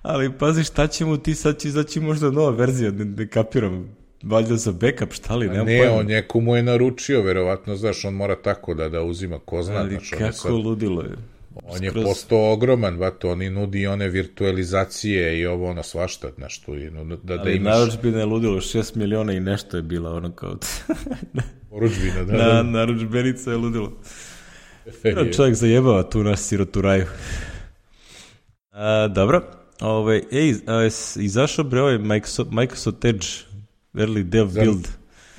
Ali pazi, šta će mu ti, sad će izaći možda nova verzija, ne, ne kapiram. Valjda za backup, šta li, nemam ne, pojma. On neku mu je naručio, verovatno, znaš, on mora tako da, da uzima, ko zna. Ali znaš, kako sad, ludilo je. On je Skroz... postao ogroman, vato, oni nudi one virtualizacije i ovo, ono, svašta, znaš, tu, da, da ali imaš... narudžbina je ludilo, šest miliona i nešto je bila, ono kao... Poručbina, da, Na, da. narudžbenica je ludilo. Je. Čovjek zajebava tu naš sirotu raju. A, dobro, ove, ej, a, izašao bre ovaj Microsoft, Microsoft Edge, early dev za, build.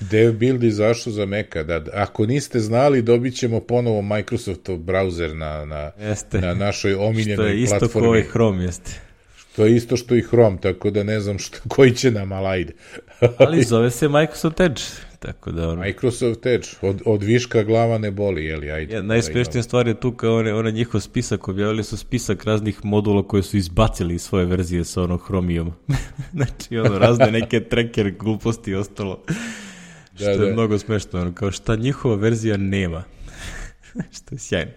Dev build izašao za Maca, da. Ako niste znali, dobit ćemo ponovo Microsoftov browser na, na, na našoj omiljenoj platformi. Što je isto kao i Chrome, jeste. To je isto što i Chrome, tako da ne znam što, koji će nam, ali ajde. Ali zove se Microsoft Edge. Tako da ono... Microsoft Edge, od, od viška glava ne boli, jeli, ajde. Ja, najspešnija stvar je tu kao one, one njihov spisak, objavili su spisak raznih modula koje su izbacili iz svoje verzije sa ono Chromijom. Znači ono, razne neke tracker gluposti i ostalo. Da, što je da. Mnogo smešno, ono, kao šta njihova verzija nema. Što je sjajno.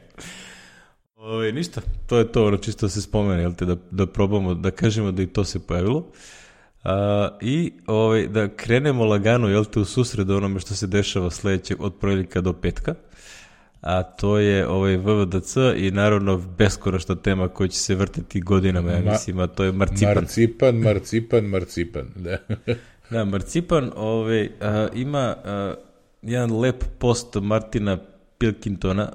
Ove, ništa, to je to, ono, čisto se spomene, jel te, da, da probamo, da kažemo da i to se pojavilo. Uh, i ovaj, da krenemo lagano, jel te, u susredu onome što se dešava sledećeg od ponedjeljka do petka, a to je ovaj V V D C i naravno beskonačna tema koja će se vrtiti godinama, ja mislim, a to je marcipan. Marcipan, marcipan, marcipan, da. Da, marcipan ovaj, uh, ima uh, jedan lep post Martina Pilkingtona,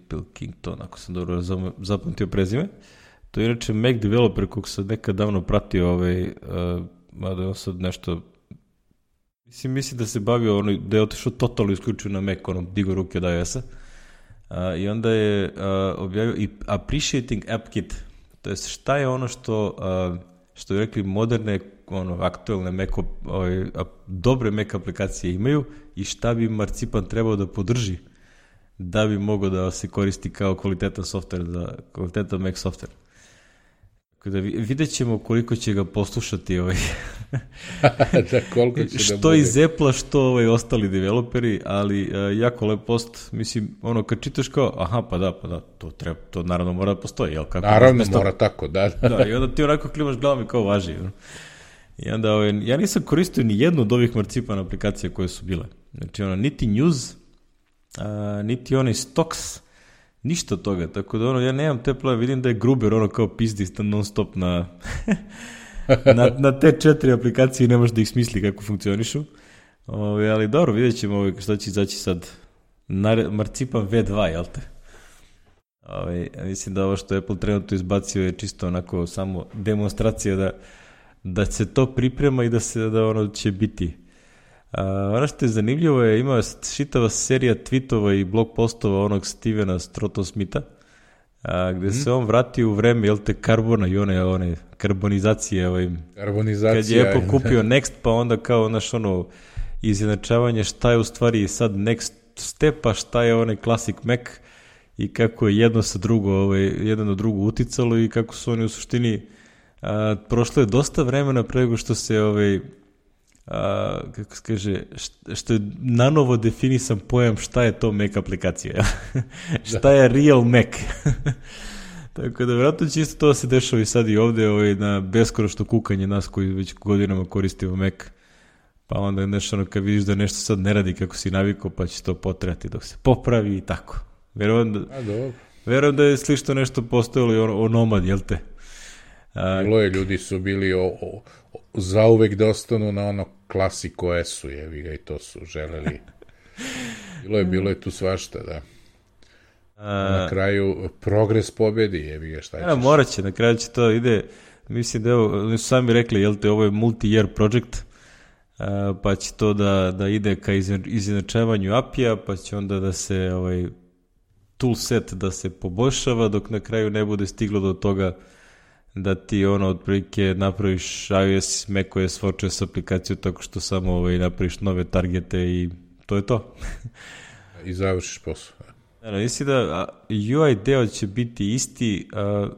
Pilkington, ako sam dobro zapamtio prezime. To je inače Mac developer kog sam nekad davno pratio, ovaj, uh, mada on sad nešto, mislim, mislim da se bavio, ono, da je otišao totalno isključio na Mac, ono, digo ruke od iOS-a. Uh, I onda je uh, objavio i Appreciating AppKit, to je šta je ono što, uh, što je rekli moderne, ono, aktuelne Mac, ovaj, dobre Mac aplikacije imaju i šta bi marcipan trebao da podrži da bi mogao da se koristi kao kvalitetan software, za kvalitetan Mac software. Da vidjet ćemo koliko će ga poslušati ovaj. Da, koliko će što da bude. iz Apple-a, što ovaj ostali developeri, ali uh, jako lep post, mislim, ono, kad čitaš kao, aha, pa da, pa da, to, treba, to naravno mora da postoji, jel? Kako naravno mora tako, da. Da, i onda ti onako klimaš glavom i kao važi. No? I onda, ovaj, ja nisam koristio ni jednu od ovih marcipan aplikacija koje su bile. Znači, ono, niti News, a, niti onaj Stocks, ništa od toga, tako da ono, ja nemam te plave, vidim da je Gruber ono kao pizdi non stop na, na, na te četiri aplikacije i nemaš da ih smisli kako funkcionišu, ove, ali dobro, vidjet ćemo ove, šta će izaći sad, Nar, marcipan V dva, jel te? Ove, mislim da ovo što Apple trenutno izbacio je čisto onako samo demonstracija da, da se to priprema i da se da ono će biti. A, ono što je zanimljivo je, ima šitava serija tweetova i blog postova onog Stevena Stroughton Smitha, a, gde mm. se on vrati u vreme, jel te, karbona i one, one karbonizacije. Ovaj, Karbonizacija. Kad je Apple kupio Next, pa onda kao naš ono izjednačavanje šta je u stvari sad Next step, a šta je onaj Classic Mac i kako je jedno sa drugo, ovaj, jedan na drugo uticalo i kako su oni u suštini, a, prošlo je dosta vremena pre nego što se ovaj, a, kako se kaže, što je nanovo definisan pojam šta je to Mac aplikacija. Šta je real Mac. Tako da vjerojatno će isto to se dešava i sad i ovde ovaj, na beskonačno kukanje nas koji već godinama koristimo Mac. Pa onda nešto ono kad vidiš da nešto sad ne radi kako si navikao, pa će to potrajati dok se popravi i tako. Verujem da, verujem da je slično nešto postojalo i o, o Nomad, jel te? A, bilo je, ljudi su bili o, o, o, zauvek da ostanu na ono Classic O S-u, jevi ga, i to su želeli. Bilo je, bilo je tu svašta, da. A, na kraju progres pobedi, jevi ga, šta ćeš? Ja, morat će, na kraju će to ide, mislim da evo, oni su sami rekli, jel te, ovo je multi-year project, uh, pa će to da, da ide ka izjednačavanju A P I-a, pa će onda da se ovaj, toolset da se poboljšava, dok na kraju ne bude stiglo do toga da ti ono otprilike napraviš iOS, macOS, watchOS aplikaciju tako što samo ovaj, napraviš nove targete i to je to. I završiš posao. Ano, mislim da U I deo će biti isti, a,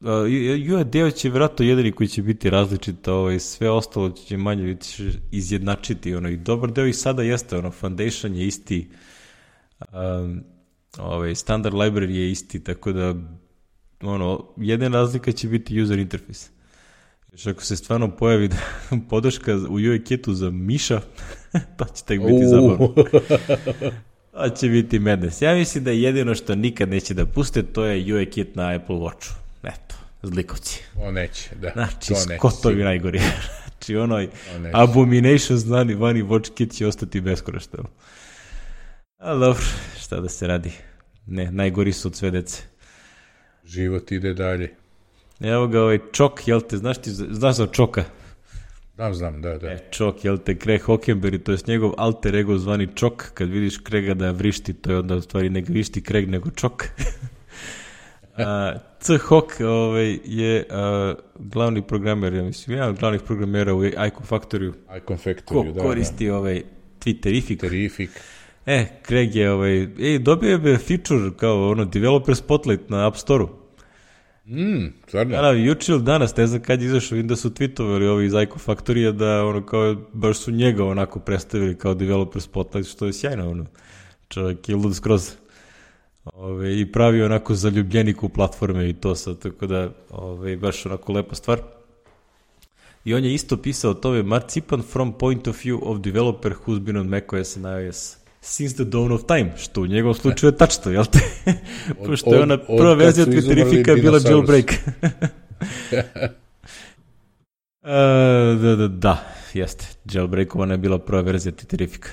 a, U I deo će vjerojatno jedini koji će biti različit, ovaj, sve ostalo će manje biti izjednačiti. Ono, i dobar deo i sada jeste, ono, Foundation je isti, a, ovaj, standard library je isti, tako da ono, jedina razlika će biti user interface. Još ako se stvarno pojavi podrška u U I kitu za miša, to će tek biti zabavno. To će biti madness. Ja mislim da jedino što nikad neće da puste, to je U I kit na Apple Watchu. Eto, zlikovci. O, neće, da. Znači, skotovi najgori. Znači, onoj abomination znani vani watch kit će ostati beskoristan. Ali dobro, šta da se radi. Ne, najgori su od sve dece. Život ide dalje. Evo ga ovaj Čok, jel te, znaš ti, znaš za Čoka? Znam, znam, da, da. E, Čok, jel te, Craig Hockenberry, to je njegov alter ego zvani Čok, kad vidiš Craiga da vrišti, to je onda u stvari ne vrišti Craig, nego Čok. a, C. Hock ovaj, je a, glavni programer, ja mislim, jedan od glavnih programera u Icon Factory-u. Icon Factory, da, koristi da. ovaj Twitterific. Twitterific. E, Craig je, ovaj, ej, dobio je feature kao ono, developer spotlight na App Store-u. Mm, stvarno? Da, juče ili danas, ne znam kad je izašao, vidim da su tweetovali ovi iz Icon Factory-a da ono kao, baš su njega onako predstavili kao developer spotlight, što je sjajno, ono. Čovjek je lud skroz. Ove, I pravi onako zaljubljenik u platforme i to sad, tako da, ove, baš onako lepa stvar. I on je isto pisao o tome, Marzipan from point of view of developer who's been on macOS and iOS since the dawn of time, što u njegovom slučaju je tačno, jel te? Pošto je ona prva verzija Twitterifika bila jailbreak. uh, da, da, da, jeste. Jailbreakovana je bila prva verzija Twitterifika.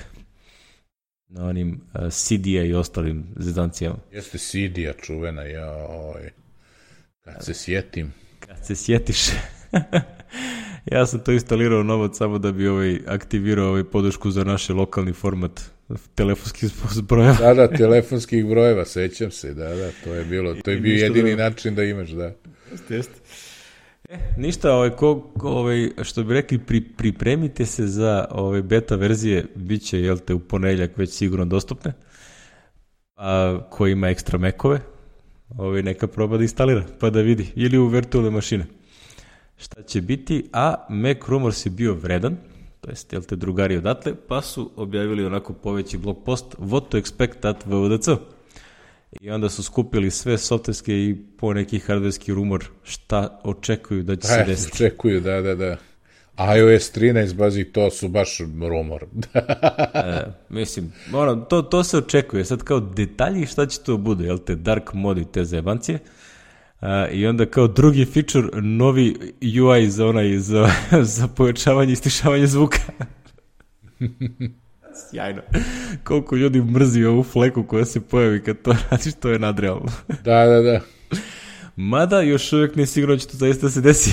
Na onim uh, C D-a i ostalim zezancijama. Jeste C D-a čuvena, ja, oj, kad se sjetim. Kad se sjetiš. Ja sam to instalirao novac samo da bi ovaj aktivirao ovaj podršku za naš lokalni format telefonskih brojeva. Da, da, telefonskih brojeva, sećam se, da, da, to je bilo, to je bio jedini da... način da imaš, da. Jeste, jeste. E, ništa, ovaj, ko, ovaj, što bi rekli, pri, pripremite se za ovaj, beta verzije, bit će, jel te, u ponedjeljak već sigurno dostupne, a ko ima ekstra mekove, ovaj, neka proba da instalira, pa da vidi, ili u virtualne mašine. Šta će biti, a Mac Rumors je bio vredan, to jest, jel te, drugari odatle, pa su objavili onako poveći blog post what to expect at V V D C. I onda su skupili sve softverske i po neki hardverski rumor šta očekuju da će se desiti. Očekuju, da, da, da. iOS trinaest, bazi, to su baš rumor. e, mislim, ono, to, to se očekuje. Sad kao detalji šta će to bude, jel te, dark mode i te zajebancije. Uh, I onda kao drugi feature, novi U I za onaj, za, za pojačavanje i stišavanje zvuka. Sjajno. Koliko ljudi mrzi ovu fleku koja se pojavi kad to radiš, to je nadrealno. Da, da, da. Mada još uvijek ne sigurno će to zaista se desi.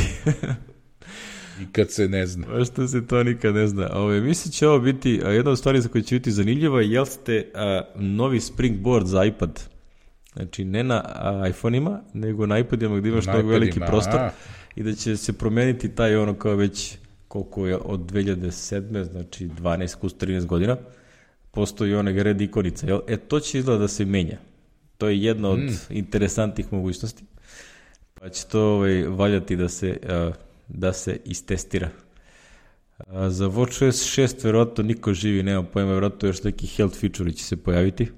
Nikad se ne zna. Pa što se to nikad ne zna. Ove, mislim će ovo biti, a jedna od stvari za koje će biti zanimljiva, jel ste a, novi Springboard za iPad. Znači, ne na iPhone-ima, nego na iPadima gdje imaš mnogo veliki prostor a. I da će se promeniti taj ono kao već koliko je od dve hiljade sedme, znači dvanaest plus trinaest godina, postoji onaj red ikonica. Jel? E, to će izgleda da se menja. To je jedna od mm. interesantnih mogućnosti. Pa će to ovaj, valjati da se, uh, da se istestira. Uh, za watchOS šest verovatno niko živi, nema pojma, verovatno još neki health feature će se pojaviti.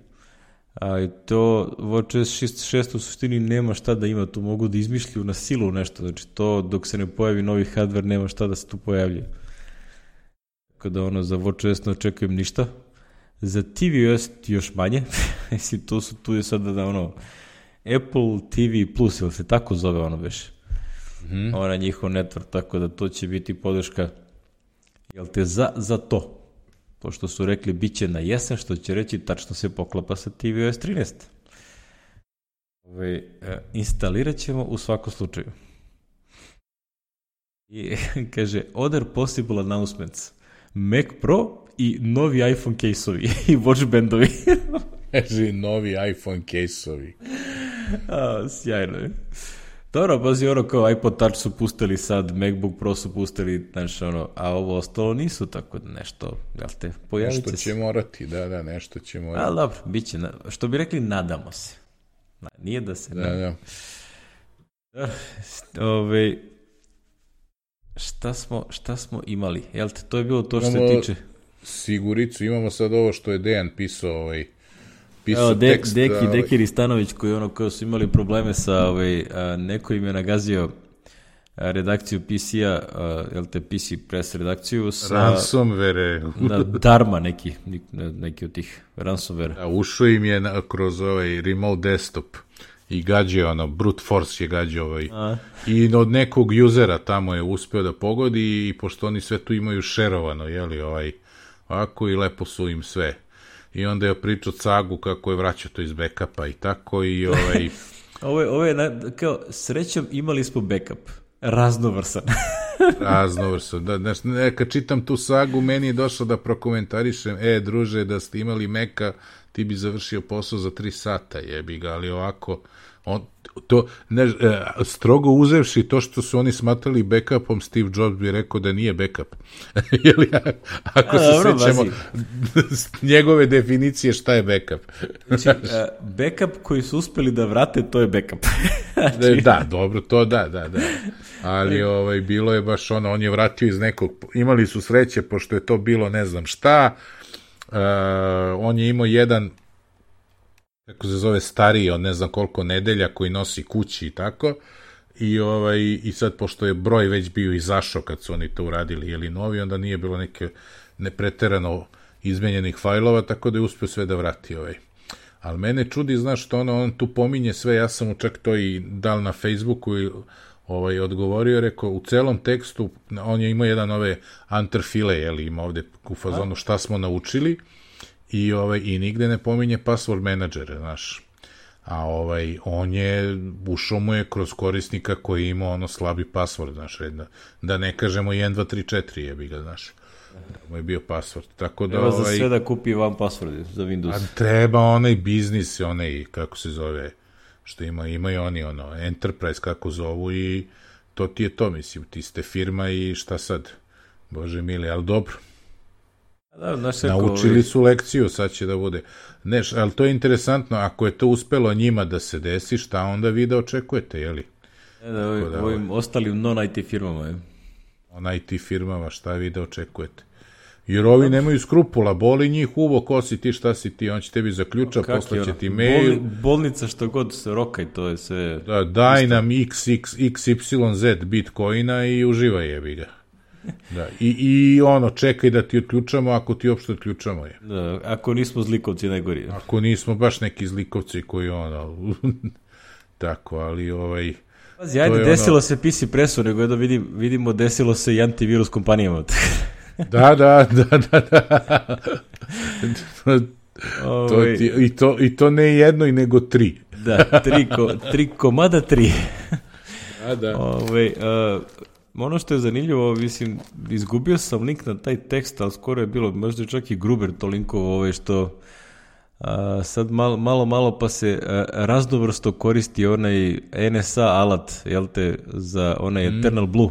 A to watchOS šest u suštini nema šta da ima, tu mogu da izmišljuju na silu nešto, znači to dok se ne pojavi novi hardware nema šta da se tu pojavlja. Tako da ono za watchOS ne očekujem ništa. Za tvOS još manje, mislim tu su tu je sada da ono Apple T V Plus, ili se tako zove ono već, mm-hmm. ona njihov network, tako da to će biti podrška, jel te, za, za to. Pošto su rekli bit će na jesen, što će reći tačno se poklapa sa tvOS trinaest. Ove, e, instalirat ćemo u svakom slučaju. I kaže, other possible announcements. Mac Pro i novi iPhone case-ovi i watch bandovi. Kaže, novi iPhone case-ovi. A, sjajno je. Dobro, pazi, ono kao iPod Touch su pustili sad, MacBook Pro su pustili, znači ono, a ovo ostalo nisu, tako da nešto, jel te, pojavit će Nešto će se. morati, da, da, nešto će morati. A, dobro, bit će, što bi rekli, nadamo se. Nije da se... Da, da. Ove, šta smo, šta smo imali? Jel te, to je bilo to što se Imamo tiče... Siguricu, imamo sad ovo što je Dejan pisao, ovaj, pisao Evo, de, tekst. Deki, ovaj, Deki Ristanović, koji ono, koji su imali probleme sa, ovaj, a, neko im je nagazio a, redakciju P C-a, a, jel te, P C Press redakciju sa... Ransomware. Na Dharma neki, neki od tih ransomware. Da, ušao im je na, kroz ovaj remote desktop i gađao ono, brute force je gađao ovaj. A. I od nekog usera tamo je uspeo da pogodi i pošto oni sve tu imaju šerovano, jeli, ovaj, ovako i lepo su im sve. I onda je pričao Cagu kako je vraćao to iz backupa i tako i ovaj... Ovo je, ovo je na, kao, srećom imali smo backup. Raznovrsan. Raznovrsan. Da, znaš, ne, kad čitam tu sagu, meni je došlo da prokomentarišem, e, druže, da ste imali Meka, ti bi završio posao za tri sata, jebi ga, ali ovako, on, to, ne, e, strogo uzevši to što su oni smatrali backupom, Steve Jobs bi rekao da nije backup. Jeli, ako A, se dobro, sećamo njegove definicije šta je backup. Znači, uh, backup koji su uspeli da vrate, to je backup. Znači... Da, dobro, to da, da, da. Ali ovaj, bilo je baš ono, on je vratio iz nekog, imali su sreće, pošto je to bilo ne znam šta, uh, on je imao jedan, kako se zove, stariji, on ne znam koliko nedelja, koji nosi kući i tako, i, ovaj, i sad, pošto je broj već bio izašao kad su oni to uradili, jeli novi, onda nije bilo neke nepreterano izmenjenih fajlova, tako da je uspio sve da vrati ovaj. Ali mene čudi, znaš, što ono, on tu pominje sve, ja sam mu čak to i dal na Facebooku i ovaj, odgovorio, rekao, u celom tekstu, on je imao jedan ove antrfile, jeli, ima ovde u fazonu šta smo naučili, i, ovaj, i nigde ne pominje password menadžere, znaš. A ovaj, on je, ušao mu je kroz korisnika koji ima ono slabi password, znaš, redno. Da ne kažemo jedan, dva, tri, četiri, jebi ga, znaš. Mu je bio password. Tako da, Evo za ovaj, sve da kupi van password za Windows. a treba onaj biznis, onaj, kako se zove, što ima, imaju oni, ono, enterprise, kako zovu, i to ti je to, mislim, ti ste firma i šta sad, bože mili, ali dobro. Da, znaš, Naučili su lekciju, sad će da bude. Ne, ali to je interesantno, ako je to uspelo njima da se desi, šta onda vi da očekujete, jeli? Ne, da, ovim, da, ovim ostalim non-I T firmama, je. On I T firmama, šta vi da očekujete? Jer ovi nemaju skrupula, boli njih uvo, ko si ti, šta si ti, on će tebi zaključa, poslaće ti mail. Bol, bolnica što god se roka i to je sve... Da, daj nam X X, X Y Z bitcoina i uživaj, jebi ga. Da, i, i ono, čekaj da ti otključamo, ako ti uopšte otključamo je. Da, ako nismo zlikovci najgori. Je. Ako nismo baš neki zlikovci koji ono... Tako, ali ovaj... Pazi, ajde, desilo ono... se P C Pressu, nego da vidim, vidimo desilo se i antivirus kompanijama. Da, da, da, da, da. to ti, i, to, I to ne jedno, i nego tri. Da, tri, ko, tri komada tri. Da, da. Ove, uh, ono što je zanimljivo, mislim, izgubio sam link na taj tekst, ali skoro je bilo, možda čak i Gruber to linkovo, ove što a, sad malo, malo, malo pa se a, raznovrsto koristi onaj N S A alat, jel te, za onaj mm. Eternal Blue,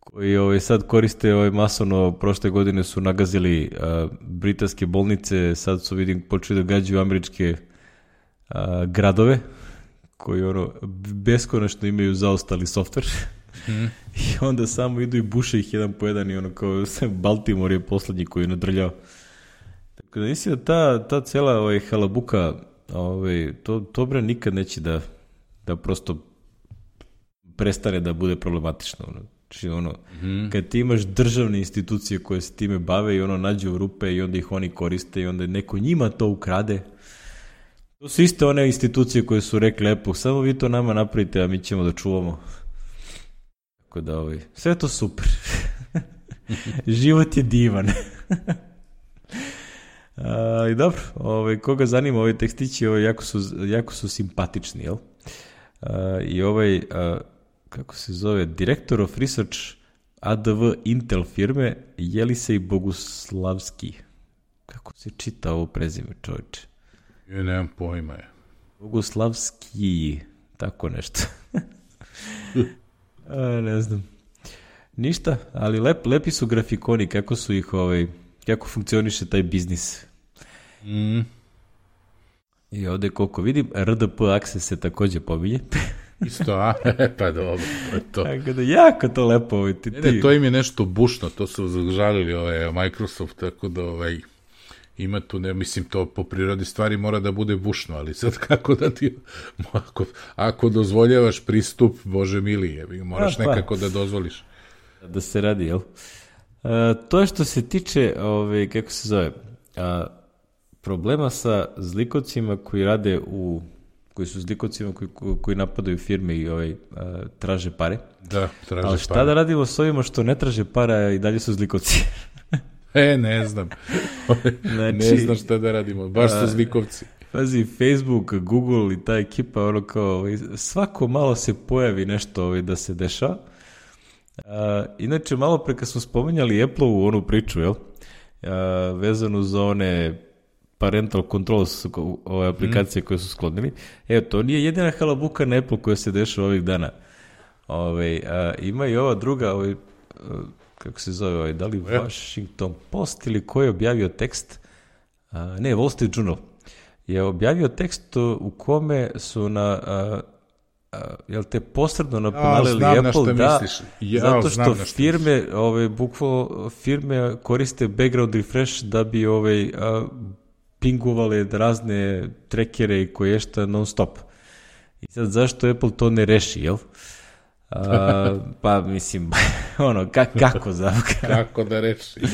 koji ovaj, sad koriste ovaj, masovno, prošle godine su nagazili a, britanske bolnice, sad su, vidim, počeli da gađaju američke a, gradove, koji ono, beskonačno imaju zaostali softver. Mm. I onda samo idu i buše ih jedan po jedan i ono kao Baltimore je poslednji koji je nadrljao. Tako da mislim da ta, ta cela ovaj, halabuka, ovaj, to, to bre nikad neće da, da prosto prestane da bude problematično. Ono. Znači, ono, mm. kad ti imaš državne institucije koje se time bave i ono nađu rupe i onda ih oni koriste i onda neko njima to ukrade. To su iste one institucije koje su rekli, lepo, samo vi to nama napravite, a mi ćemo da čuvamo. Tako da, ovaj, sve to super. Život je divan. a, I dobro, ovaj, koga zanima ovi tekstići, ovaj, jako, su, jako su simpatični, jel? A, I ovaj, a, kako se zove, Director of Research A D V Intel firme Jelisej Boguslavski. Kako se čita ovo prezime, čovječe? Ja nemam pojma je. Boguslavski, tako nešto. A, ne znam. Ništa, ali lep, lepi su grafikoni, kako su ih, ovaj, kako funkcioniše taj biznis. Mm. I ovde koliko vidim, R D P Access se takođe pominje. Isto, a? Pa dobro, to je to. Tako da, jako to lepo. Ovaj, ti, ne, ne, to im je nešto bušno, to su zažalili ovaj, Microsoft, tako da ovaj, ima tu, ne, mislim, to po prirodi stvari mora da bude bušno, ali sad kako da ti, ako, ako dozvoljavaš pristup, Bože mili, je, moraš a, pa, nekako da dozvoliš. Da se radi, jel? A, to je što se tiče, ovaj, kako se zove, a, problema sa zlikovcima koji rade u, koji su zlikovcima koji, koji napadaju firme i ovaj, a, traže pare. Da, traže ali šta pare. Da radimo s ovima što ne traže para i dalje su zlikovci? E, ne znam. Znači, ne znam šta da radimo, baš su zlikovci. Pazi, Facebook, Google i ta ekipa, ono kao, svako malo se pojavi nešto ovaj, da se dešava. A, inače, malo pre kad smo spominjali Apple-u onu priču, jel? A, vezanu za one parental controls, ove aplikacije mm. koje su sklonili. Evo, to nije jedina halabuka na Apple koja se dešava ovih dana. Ove, a, ima i ova druga, ove, kako se zove, ovaj, da li Washington Post ili ko je objavio tekst, a, ne, Wall Street Journal, je objavio tekst u kome su na, a, a, jel te posredno naponalili ja, Apple da, ja, zato što firme, ove, bukvalno firme koriste background refresh da bi ove, a, pingovale razne trekere i koje šta non stop. I sad zašto Apple to ne reši, jel? A, pa mislim, ono, ka, kako zapravo? Kako da reši, da?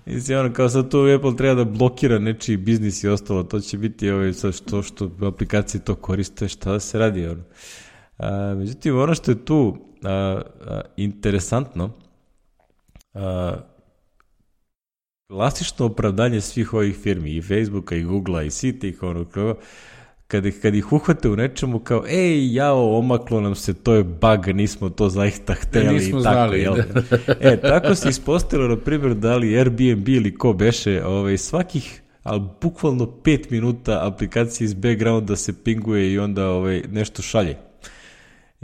Mislim, ono, kao sad tu Apple treba da blokira nečiji biznis i ostalo, to će biti ovaj, sad što, što aplikacije to koriste, šta da se radi, ono. A, međutim, ono što je tu a, a, interesantno, a, klasično opravdanje svih ovih firmi, i Facebooka, i Googlea, i svih tih, ono, kao, Kad ih, kad ih uhvate u nečemu kao, ej, jao, omaklo nam se, to je bug, nismo to zaista hteli. Ne, nismo i tako, znali. Jel? E, tako se ispostavilo, na primjer, da li Airbnb ili ko beše, ovaj, svakih, ali bukvalno pet minuta aplikacija iz backgrounda se pinguje i onda ovaj, nešto šalje.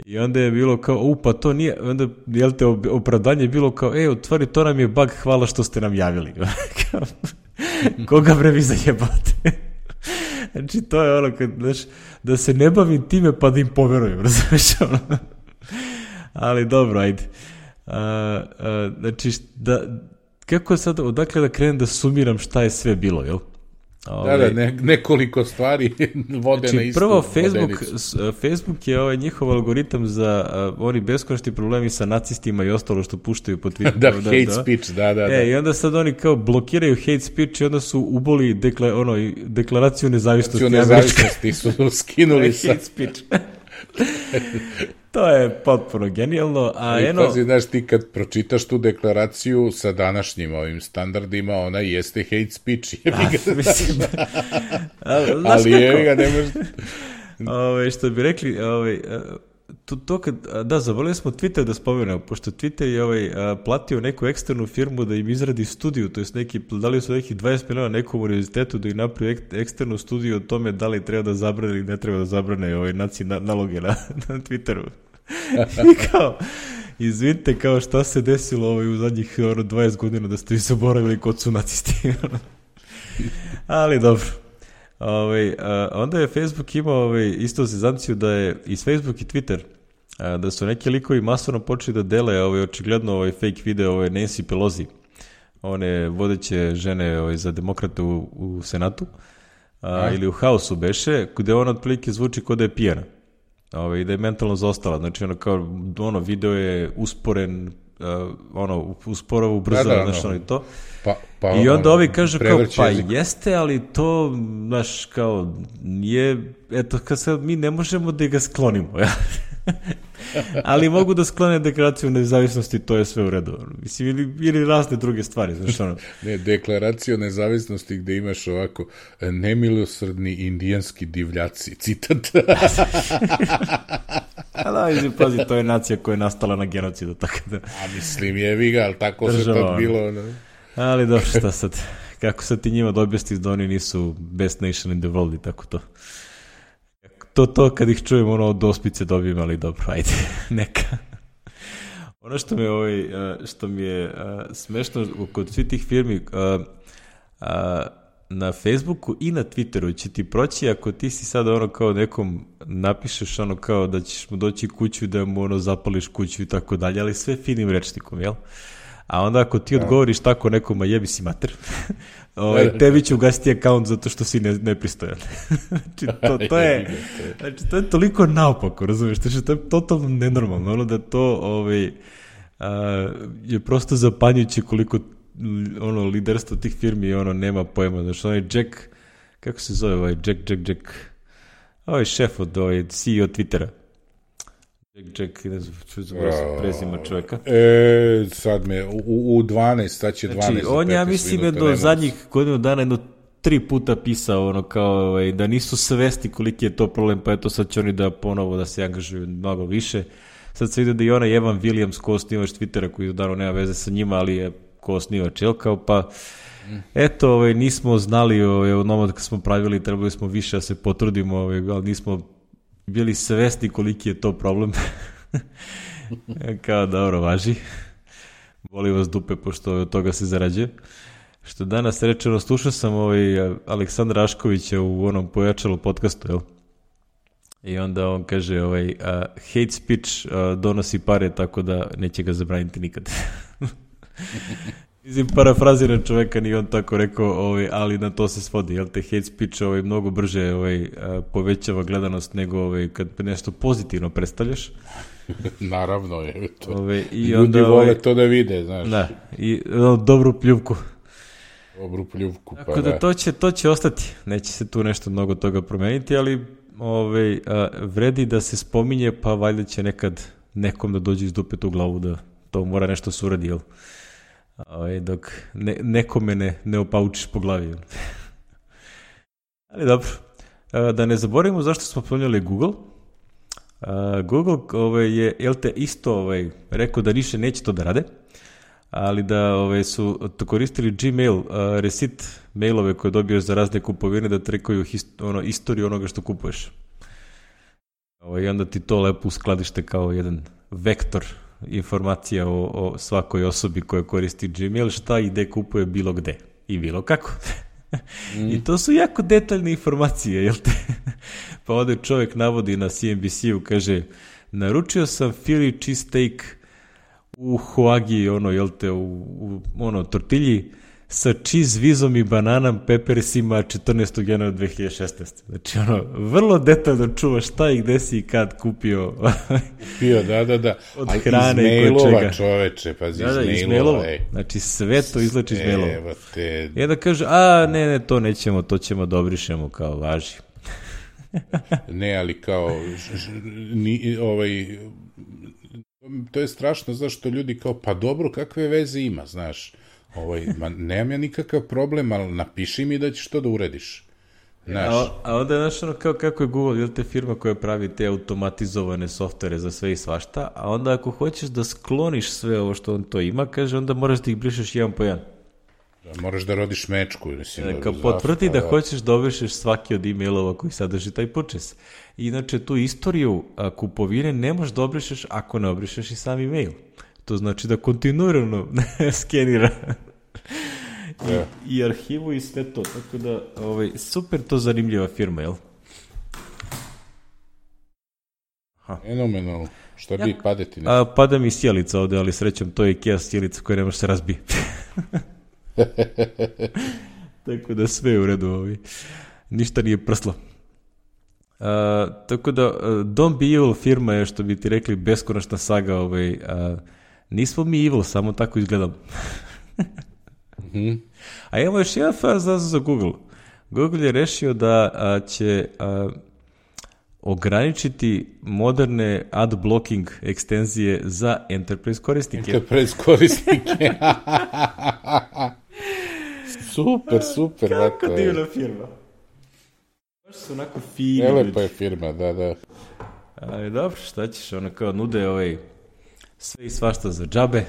I onda je bilo kao, u, pa to nije, onda, jel te, opravdanje je bilo kao, ej, u stvari, to nam je bug, hvala što ste nam javili. Koga bre vi zajebate? Znači, to je ono, kad, znaš, da se ne bavim time pa da im poverujem, razumiješ ono. Ali dobro, ajde. A, a, znači, da, kako sad, odakle da krenem da sumiram šta je sve bilo, jel? Ove, da, da, ne, nekoliko stvari vode znači, na istu prvo, Facebook, vodenicu. Facebook je ovaj njihov algoritam za uh, oni beskonačni problemi sa nacistima i ostalo što puštaju po Twitteru. da, da, hate da. speech, da, da, e, da. I onda sad oni kao blokiraju hate speech i onda su uboli dekla, ono, deklaraciju nezavisnosti. Nezavisnosti su skinuli sa hate speech. To je potpuno genijalno. A I eno... pazi, znaš, ti kad pročitaš tu deklaraciju sa današnjim ovim standardima, ona jeste hate speech. A, mislim, a, ali je ga ne može... Ove, što bi rekli, ove, to, to kad, da, zavolili smo Twitter da spomenemo, pošto Twitter je ovaj, platio neku eksternu firmu da im izradi studiju, to jest neki, dali su nekih dvadeset miliona nekom univerzitetu da im napravi ek, eksternu studiju o tome da li treba da zabrane ili ne treba da zabrane ovaj, naci na, naloge na, na Twitteru. I kao, izvinite, kao šta se desilo ovaj, u zadnjih ono, dvadeset godina da ste vi zaboravili kod su nacisti. Ali dobro. Ove, a, onda je Facebook imao ove, isto sezanciju da je i Facebook i Twitter a, da su neki likovi masovno počeli da dele ove, očigledno ove, fake video ove, Nancy Pelosi, one vodeće žene ove, za demokrate u, u Senatu a, ili u Hausu beše, gde ona otprilike zvuči kao da je pijana ove, i da je mentalno zaostala, znači ono kao ono video je usporen, uh, ono usporava, ubrzava, da, da, znaš, ono i to. Pa, pa, i onda ono, ovi kažu kao, pa jezik. Jeste, ali to, znaš, kao, nije, eto, kad sad mi ne možemo da ga sklonimo, ja. Ali mogu da sklone deklaraciju nezavisnosti, to je sve u redu. Mislim, ili, ili razne druge stvari, znaš ono. Ne, deklaraciju nezavisnosti gde imaš ovako nemilosrdni indijanski divljaci, citat. A da, izvi, pazi, to je nacija koja je nastala na genocidu, tako da... A mislim, jevi ga, ali tako Država, se tad bilo. Ne? Ali dobro, šta sad? Kako sad ti njima da objasniš da oni nisu best nation in the world i tako to. To, to kad ih čujem, ono, od ospice dobijem, ali dobro, ajde, neka. Ono što mi je, ovaj, što mi je smešno kod svih tih firmi, na Facebooku i na Twitteru će ti proći ako ti si sada ono kao nekom napišeš ono kao da ćeš mu doći kuću i da mu ono zapališ kuću i tako dalje, ali sve finim rečnikom, jel? A onda ako ti odgovoriš tako nekom, a jebi si mater, ovaj, tebi će ugasiti akaunt zato što si ne, nepristojan. Znači, to, to je, znači, to je toliko naopako, razumiješ? Znači, to je totalno nenormalno, ono da to ovaj, a, je prosto zapanjujuće koliko ono liderstvo tih firmi ono nema pojma. Znači, onaj Jack, kako se zove ovaj Jack, Jack, Jack, ovaj šef od ovaj C E O Twittera. Jack, Jack, ne znam, čuo sam prezima čovjeka. E, sad me, u, u dvanaest, sad će dvanaest. Znači, on ja mislim je do zadnjih godinu dana jedno tri puta pisao ono kao ovaj, da nisu svesti koliki je to problem, pa eto sad će oni da ponovo da se angažuju mnogo više. Sad se vidi da i onaj Evan Williams, ko osnivač Twittera, koji naravno nema veze sa njima, ali je ko osnivač, jel kao, pa eto, ovaj, nismo znali ovaj, od onog kad smo pravili, trebali smo više da se potrudimo, ovaj, ali nismo bili svesni koliki je to problem. Kao, dobro, važi. Boli vas dupe, pošto od toga se zarađuje. Što danas rečeno, slušao sam ovaj Aleksandra Raškovića u onom Pojačalo podcastu, jel? I onda on kaže, ovaj, uh, hate speech uh, donosi pare, tako da neće ga zabraniti nikad. Mislim, parafraziran čoveka, nije on tako rekao, ovaj, ali na to se svodi, jel te hate speech ovaj, mnogo brže ovaj, povećava gledanost nego ovaj, kad nešto pozitivno predstavljaš. Naravno je to. Ove, i Ljudi onda, vole ovaj, to da vide, znaš. Da, i no, dobru pljuvku. Dobru pljuvku, pa tako da. da to će, to će ostati, neće se tu nešto mnogo toga promeniti, ali ovaj, a, vredi da se spominje, pa valjda će nekad nekom da dođe iz dupeta u glavu da to mora nešto se uradi, jel? Ovaj, dok ne, nekome ne, ne opaučiš po glavi. Ali dobro, da ne zaboravimo zašto smo spominjali Google. Google ovaj, je, jel te, isto ovaj, rekao da više neće to da rade, ali da ovaj, su to koristili Gmail, uh, receipt mailove koje dobiješ za razne kupovine da trekaju hist, ono, istoriju onoga što kupuješ. Ovaj, I onda ti to lepo uskladište kao jedan vektor informacija o, o svakoj osobi koja koristi Gmail, šta i gde kupuje bilo gde i bilo kako. Mm. I to su jako detaljne informacije, jel te? Pa ovdje čovjek navodi na C N B C-u, kaže, naručio sam Philly cheesesteak u Hoagi, ono, jel te, u, u ono, tortilji sa cheese vizom i bananom pepersima četrnaestog januara dve hiljade šesnaeste. Znači, ono, vrlo detaljno čuvaš šta i gde si i kad kupio. Kupio, da, da, da. Od ali hrane i kod čega. Čoveče, pazi, da, da, iz mailova. Znači, sve to izlači iz mailova. Te... I onda kaže, a, ne, ne, to nećemo, to ćemo da obrišemo, kao, važi. Ne, ali kao, ni, ovaj, to je strašno, znaš, što ljudi kao, pa dobro, kakve veze ima, znaš. Ovaj, ma, nemam ja nikakav problem, ali napiši mi da ćeš to da urediš. Znaš. A, a onda je znaš ono kao kako je Google, jel te firma koja pravi te automatizovane softvere za sve i svašta, a onda ako hoćeš da skloniš sve ovo što on to ima, kaže, onda moraš da ih brišeš jedan po jedan. Da, moraš da rodiš mečku. Mislim, e, kao potvrdi da, da hoćeš da obrišeš svaki od e-mailova koji sadrži taj purchase. Inače, tu istoriju a, kupovine ne možeš da obrišeš ako ne obrišeš i sam e-mail. To znači da kontinuirano skenira I, yeah. i arhivu i sve to. Tako da, ovaj, super to zanimljiva firma, jel? Fenomenalno. Šta bi ja, padeti? Ne? A, pada mi sjelica ovde, ali srećom to je IKEA sjelica koja ne može se razbije. Tako da sve je u redu. Ovaj. Ništa nije prslo. Uh, tako da, uh, Don't Be Evil firma je, što bi ti rekli, beskonačna saga. Ovaj, uh, nismo mi evil, samo tako izgledamo. mm-hmm. A imamo još jedan faz za Google. Google je rešio da a, će a, ograničiti moderne ad blocking ekstenzije za enterprise korisnike. Enterprise korisnike. Super, super. Kako vato, divna firma. Baš su onako fini. Nelepa je firma, da, da. Ali dobro, šta ćeš, ono kao nude ovaj, sve i svašta za džabe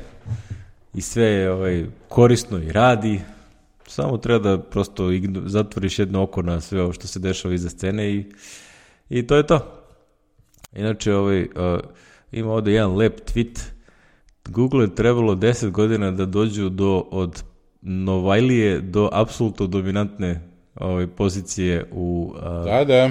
i sve je ovaj, korisno i radi. Samo treba da prosto igno, zatvoriš jedno oko na sve ovo što se dešava iza scene i, i to je to. Inače, ovaj, uh, ima ovde jedan lep tweet. Google je trebalo deset godina da dođu do, od Novajlije do apsolutno dominantne ovaj, pozicije u... Uh, da, da.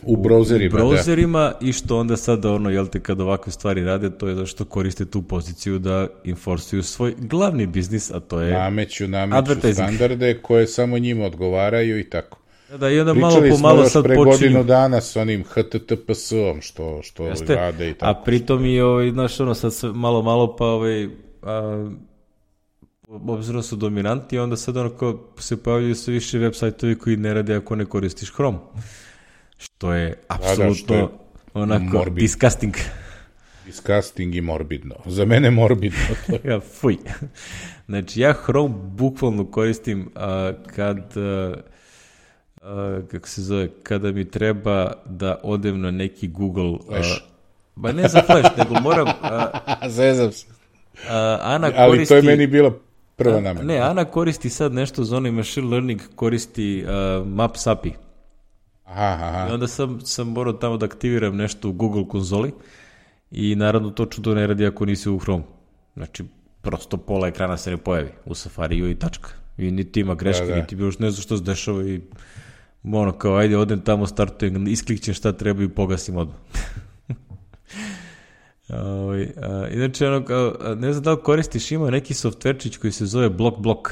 U browserima, u browserima da. I što onda sada ono, jel te, kad ovakve stvari rade, to je zašto koriste tu poziciju da enforsuju svoj glavni biznis, a to je nameću, nameću standarde koje samo njima odgovaraju i tako. Da, da, i onda pričali malo po malo sad pre počinju. Godinu dana s onim H T T P S-om što, što Jeste, rade i tako. A pritom i, ovaj, znaš, ono, sad sve malo, malo pa, ovaj, a, obzirom su dominanti, onda sad ono kao se pojavljaju sve više web sajtovi koji ne rade ako ne koristiš Chrome. Što je apsolutno da, da, onako morbid. disgusting. Disgusting i morbidno. Za mene morbidno. ja, fuj. Znači, ja Chrome bukvalno koristim a, kad, a, a, kako se zove, kada mi treba da odem na neki Google... Flash. A, ba ne za Flash, nego moram... A, Zezam se. A, Ana Ali koristi, to je meni bila prva namena. Ne, Ana koristi sad nešto za onaj machine learning, koristi uh, Maps A P I. Aha, aha. I onda sam, sam morao tamo da aktiviram nešto u Google konzoli i naravno to čudo ne radi ako nisi u Chrome. Znači, prosto pola ekrana se ne pojavi u Safariju i tačka. I niti ima greške, da, da. niti bilo što ne znam što se dešava i ono kao, ajde, odem tamo, startujem, isklikćem šta treba i pogasim odmah. Uh, uh, inače, ono, uh, ne znam da li koristiš, ima neki softverčić koji se zove Block Block.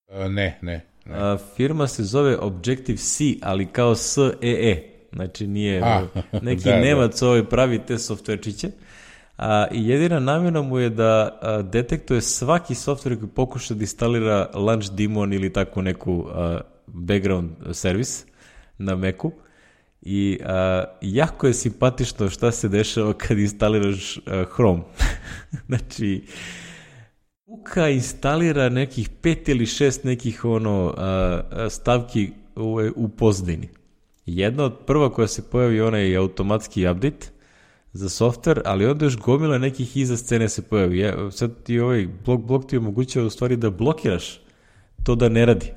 Uh, ne, ne. ne. Uh, firma se zove Objective-C, ali kao S E E. Znači, nije A, neki da, Nemac da. ovaj pravi te softverčiće. Uh, I jedina namjena mu je da uh, detektuje svaki softver koji pokuša da instalira Launch Daemon ili tako neku uh, background servis na Macu. I a, jako je simpatično šta se dešava kad instaliraš a, Chrome. Znači, Uka instalira nekih pet ili šest nekih ono a, a, stavki u, u pozadini. Jedna od prva koja se pojavi onaj automatski update za software, ali onda još gomila nekih iza scene se pojavi. Ja, sad ti ovaj blok, blok ti omogućava u stvari da blokiraš to da ne radi.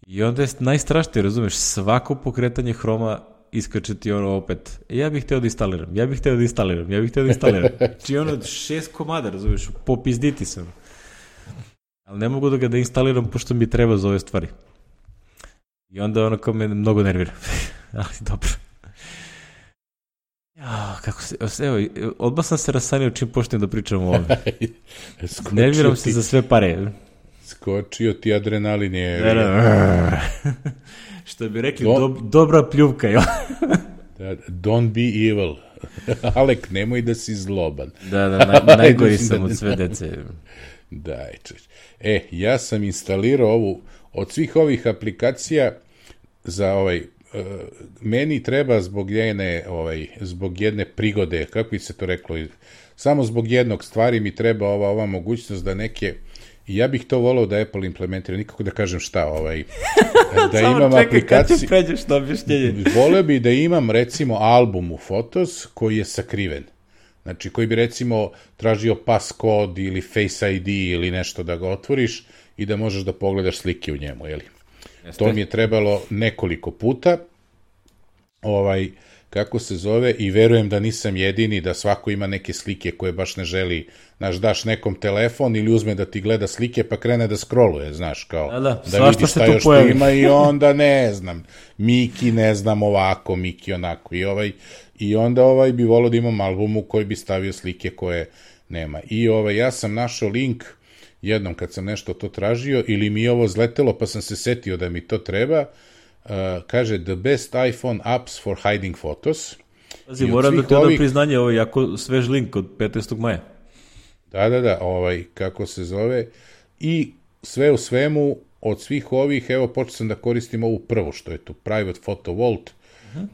I onda je najstrašnije, razumeš, svako pokretanje Chroma iskače ti ono opet, ja bih hteo da instaliram, ja bih hteo da instaliram, ja bih hteo da instaliram. Znači ono šest komada, razumeš, popizditi sam. Ali ne mogu da ga da instaliram pošto mi treba za ove stvari. I onda ono kao me mnogo nervira. Ali dobro. Ja, kako se, evo, odmah sam se rasanio čim počnem da pričam o ovome. Nerviram se za sve pare. Skočio ti adrenalin je... Da, da. Što bi rekli, Don't... do, dobra pljuvka, jo. Don't be evil. Alek, nemoj da si zloban. Da, da, naj, najgori sam od sve dece. Daj, češ. E, ja sam instalirao ovu, od svih ovih aplikacija za ovaj, uh, meni treba zbog jedne, ovaj, zbog jedne prigode, kako bi se to reklo, samo zbog jednog stvari mi treba ova, ova mogućnost da neke... I ja bih to volao da Apple implementira, nikako da kažem šta, ovaj, da imam aplikaciju... Samo čekaj, kad ćeš pređeš na objašnjenje. Voleo bi da imam, recimo, album u Photos koji je sakriven. Znači, koji bi, recimo, tražio passcode ili Face I D ili nešto da ga otvoriš i da možeš da pogledaš slike u njemu, jeli? Jeste. To mi je trebalo nekoliko puta. Ovaj... kako se zove, i verujem da nisam jedini, da svako ima neke slike koje baš ne želi, znaš, daš nekom telefon ili uzme da ti gleda slike pa krene da scrolluje, znaš, kao da, da, da vidi šta još pojavi. Ima i onda ne znam, Miki ne znam ovako, Miki onako i ovaj, i onda ovaj bi volio da imam albumu koji bi stavio slike koje nema. I ovaj, ja sam našao link jednom kad sam nešto to tražio ili mi je ovo zletelo pa sam se setio da mi to treba. Uh, kaže the best iPhone apps for hiding photos. Pazi, moram da ti odam ovih... priznanje, ovo je jako svež link od petnaestog maja. Da, da, da, ovaj, kako se zove. I sve u svemu, od svih ovih, evo, počeo sam da koristim ovu prvu, što je tu Private Photo Vault.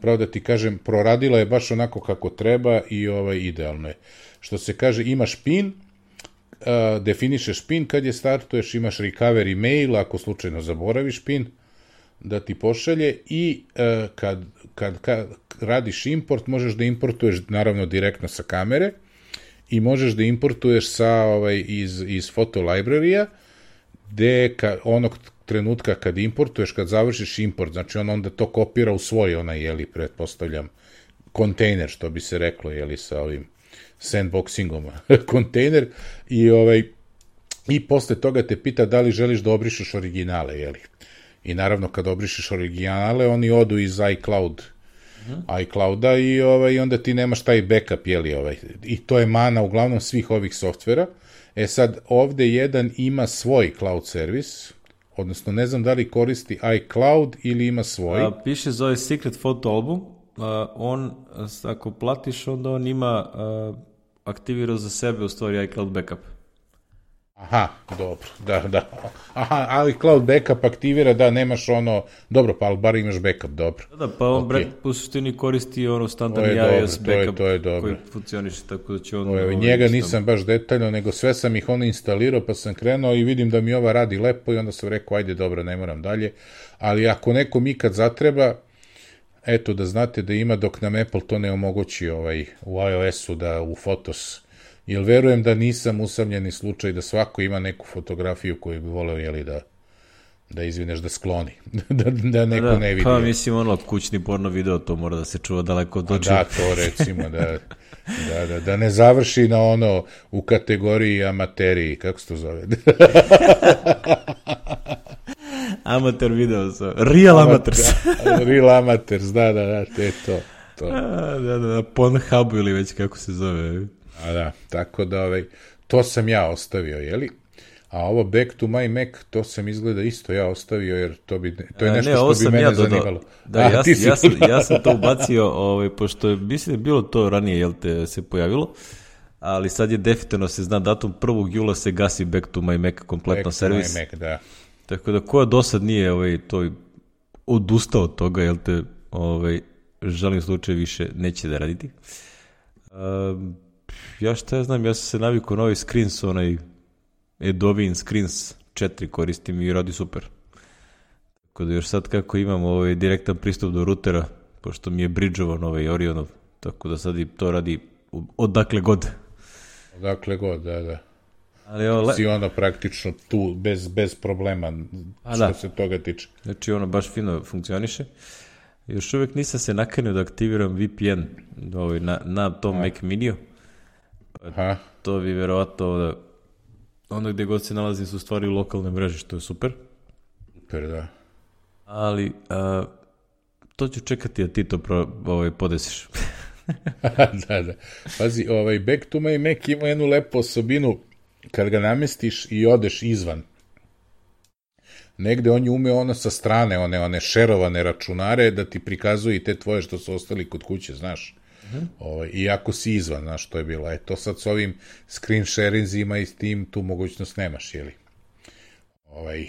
pravo da ti kažem, proradila je baš onako kako treba i ovaj, idealno je. Što se kaže, imaš pin, uh, definišeš pin kad je startuješ, imaš recovery mail, ako slučajno zaboraviš pin, da ti pošalje i uh, kad, kad, kad radiš import, možeš da importuješ naravno direktno sa kamere i možeš da importuješ sa, ovaj, iz, iz foto library-a, gde ka, onog trenutka kad importuješ, kad završiš import, znači on onda to kopira u svoj, onaj, jeli, pretpostavljam, kontejner, što bi se reklo, jeli, sa ovim sandboxingom, kontejner, i, ovaj, i posle toga te pita da li želiš da obrišeš originale, jeli. I naravno, kad obrišeš originale, oni odu iz iCloud, mm-hmm. iClouda i ovaj, onda ti nemaš taj backup, jeli, ovaj. I to je mana uglavnom svih ovih softvera. E sad, ovde jedan ima svoj cloud servis, odnosno ne znam da li koristi iCloud ili ima svoj. A, piše zove Secret Photo Album, a, on, ako platiš, onda on ima a, aktivirao za sebe u stvari iCloud backup. Aha, dobro, da, da. Aha, ali cloud backup aktivira da nemaš ono, dobro, pa ali bar imaš backup, dobro. Da, da, pa on okay. u suštini koristi ono standardni iOS backup to je, to je koji funkcioniše, tako da će on... Ove, njega nisam baš detaljno, nego sve sam ih ono instalirao, pa sam krenuo i vidim da mi ova radi lepo i onda sam rekao, ajde, dobro, ne moram dalje. Ali ako nekom ikad zatreba, eto, da znate da ima, dok nam Apple to ne omogući ovaj, u iOS-u, da u Photos, jer verujem da nisam usamljeni slučaj da svako ima neku fotografiju koju bi voleo, jeli, da da izvineš da skloni, da, da neko da, ne vidi. Pa mislim, ono, kućni porno video, to mora da se čuva daleko od očiju. Da, to recimo, da, da, da, da ne završi na ono u kategoriji amateriji, kako se to zove? Amateur video, so. Real amateurs. Da, real amateurs, da, da, da, te to. to. A, da, da, na Pornhubu ili već kako se zove. A da, tako da, ovaj, to sam ja ostavio, jeli? A ovo Back to my Mac, to sam izgleda isto ja ostavio, jer to, bi, to je nešto ne, što bi mene ja zanimalo. Da, A, ja, ja, sam, ja sam to ubacio, ovaj, pošto je, mislim da bilo to ranije, jel te, se pojavilo, ali sad je definitivno se zna datum prvog jula se gasi Back to my Mac kompletno Back servis. Back to my Mac, da. Tako da ko do sad nije ovaj, to odustao od toga, jel te, ovaj, žalim slučaj više neće da raditi. Um, ja šta ja znam, ja sam se navikao na ovaj screens, onaj Adobe Screens četiri koristim i radi super. Tako da još sad kako imam ovaj direktan pristup do rutera, pošto mi je bridžovan ovaj Orionov, tako da sad i to radi odakle god. Odakle god, da, da. Ali ovo, le... si ono praktično tu, bez, bez problema, A, što da. se toga tiče. Znači ono baš fino funkcioniše. Još uvijek nisam se nakanio da aktiviram V P N ovaj, na, na tom Mac Miniju. Aha. To bi verovatno da ono gde god se nalazim su stvari u lokalne mreže, što je super. Super, da. Ali a, to ću čekati da ti to pro, ovaj, podesiš. da, da. Pazi, ovaj Back to my Mac ima jednu lepu osobinu kad ga namestiš i odeš izvan. Negde on je umeo ono sa strane, one, one šerovane računare, da ti prikazuje i te tvoje što su ostali kod kuće, znaš. Uh-huh. Ovaj, iako si izvan, znaš, to je bilo. E, to sad s ovim screen sharingima i s tim tu mogućnost nemaš, jeli? Ovaj,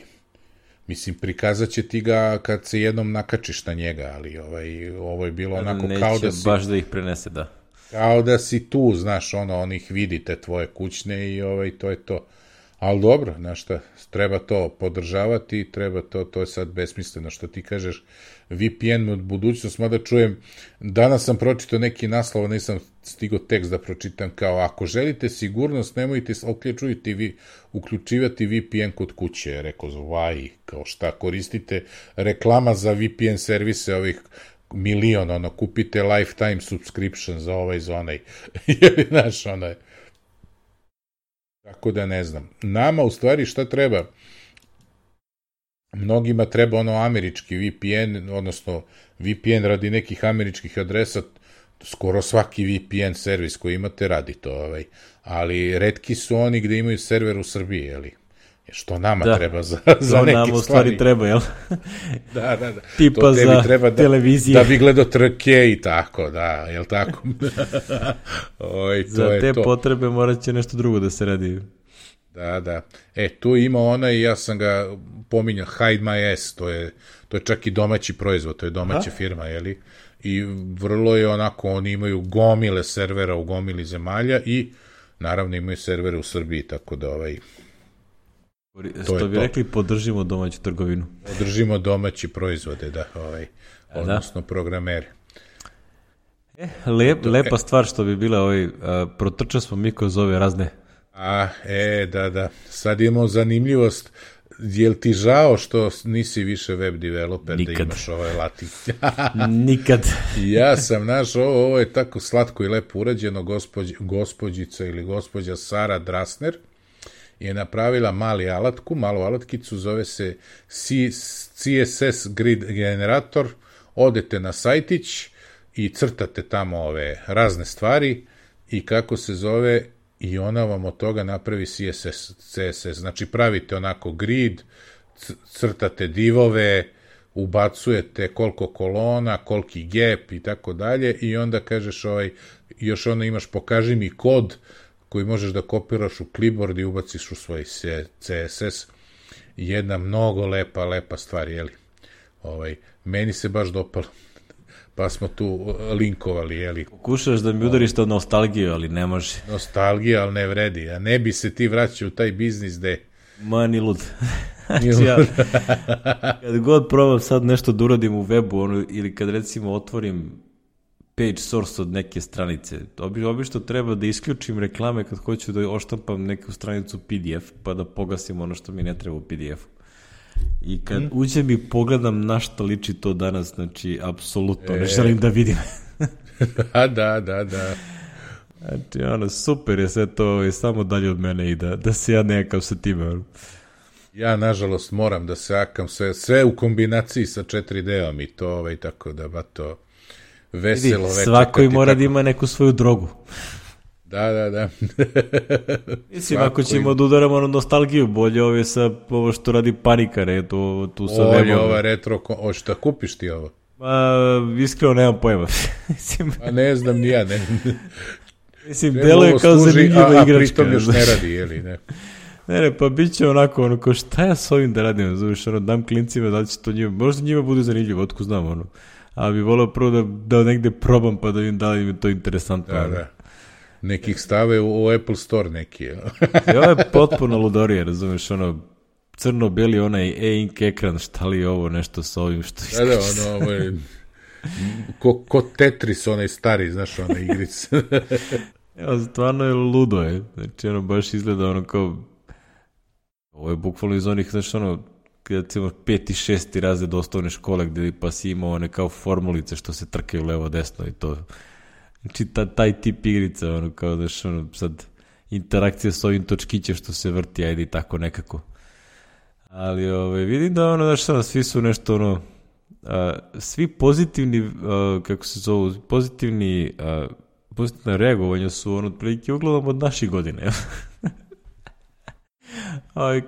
mislim, prikazat će ti ga kad se jednom nakačiš na njega, ali ovaj, ovo je bilo onako Neće kao da si... baš da ih prenese, da. Kao da si tu, znaš, ono, on ih vidi, te tvoje kućne i ovaj, to je to. Ali dobro, znaš šta, treba to podržavati, treba to, to je sad besmisleno što ti kažeš, V P N od budućnost, mada čujem, danas sam pročitao neki naslov, nisam stigao tekst da pročitam, kao ako želite sigurnost, nemojte uključivati, uključivati V P N kod kuće, rekao, why, kao šta, koristite reklama za V P N servise ovih milion, ono, kupite lifetime subscription za ovaj, za onaj, jer, znaš, ono je, tako da ne znam. Nama, u stvari, šta treba? Mnogima treba ono američki V P N, odnosno V P N radi nekih američkih adresa, skoro svaki V P N servis koji imate radi to, ovaj. Ali retki su oni gde imaju server u Srbiji, jeli? Što nama da. treba za, za neke stvari. To nama u stvari treba, jel? Da, da, da. Tipa to za treba da, televizije. Da bi gledao trke i tako, da, jel tako? Oj, to za je te to. potrebe morat će nešto drugo da se radi. Da, da. E, tu ima onaj, ja sam ga pominjao, Hide My Ass, to je, to je čak i domaći proizvod, to je domaća Aha. firma, jeli? i vrlo je onako, oni imaju gomile servera u gomili zemalja i naravno imaju servere u Srbiji, tako da ovaj... Što bi to. Rekli, podržimo domaću trgovinu. Podržimo domaći proizvode, da, ovaj, odnosno da. Programere. E, lep, lepa stvar što bi bila, ovaj, protrčali smo mi kroz ove razne. A, e, da, da, sad imamo zanimljivost. Jel ti žao što nisi više web developer? Nikad. Da imaš ovaj latin? Nikad. Ja sam naš, ovo, ovo je tako slatko i lepo urađeno, gospođ, gospođica ili gospođa Sara Drasner je napravila mali alatku, malu alatkicu, zove se C S S Grid Generator, odete na sajtić i crtate tamo ove razne stvari i kako se zove, i ona vam od toga napravi C S S, C S S. Znači pravite onako grid, crtate divove, ubacujete koliko kolona, koliki gap i tako dalje i onda kažeš ovaj, još onda imaš pokaži mi kod koji možeš da kopiraš u clipboard i ubaciš u svoj C S S. Jedna mnogo lepa, lepa stvar, jeli? Ovaj, meni se baš dopalo. Pa smo tu linkovali, jeli? Pokušaš da mi udariš to nostalgiju, ali ne može. Nostalgija, ali ne vredi. A ne bi se ti vraćao u taj biznis gde... Ma, ni lud. Znači, ja, kad god probam sad nešto da uradim u webu, ono, ili kad recimo otvorim page source od neke stranice, obi, obično treba da isključim reklame kad hoću da oštampam neku stranicu P D F, pa da pogasim ono što mi ne treba u P D F-u. I kad mm. uđem i pogledam na što liči to danas, znači, apsolutno, e. ne želim da vidim. da, da, da, da. Znači, ono, super je sve to, je samo dalje od mene i da, da se ja nekam sa time. Ja, nažalost, moram da se akam sve, sve u kombinaciji sa četiri D-om i to, ovaj, tako da, ba to veselo večer. Svako i mora tako... da ima neku svoju drogu. Da, da, da. Mislim, ako ćemo im... da udaramo na nostalgiju, bolje ovo je sa ovo što radi Panika, ne, to, tu sa webom. Bolje ova retro, o šta kupiš ti ovo? Ma, iskreno nemam pojma. A ne znam ni ja, ne. Mislim, delo je kao zanimljiva igračka. A pritom još ne radi, jeli, ne? Ne, ne, pa bit će onako, ono, ko šta ja s ovim da radim, zoveš, ono, dam klincima, da li će to njima, možda njima bude zanimljivo, otko znam, ono, ali bi volao prvo da, da negde probam, pa da vidim da li mi to interesantno. Da, da. Nekih stave u, u Apple Store neki. I ovo je potpuno ludorije, razumeš, ono, crno-beli onaj e-ink ekran, šta li je ovo, nešto sa ovim, što iskače. Da, da, ono, ovo je, ko, ko Tetris, onaj stari, znaš, onaj igric. Evo, stvarno je ludo, je. Znači, ono, baš izgleda, ono, kao, ovo je bukvalno iz onih, znaš, ono, kada ti imaš peti, šesti razred osnovne škole, gde pa si imao one kao formulice što se trkaju levo-desno i to. Znači, ta, taj tip igrica, ono, kao da što, ono, sad, interakcija s ovim točkićem što se vrti, ajde i tako nekako. Ali, ove, vidim da, ono, znaš, ono, svi su nešto, ono, a, svi pozitivni, a, kako se zovu, pozitivni, a, pozitivna reagovanja su, ono, otprilike uglavnom od naših godine. Ovi,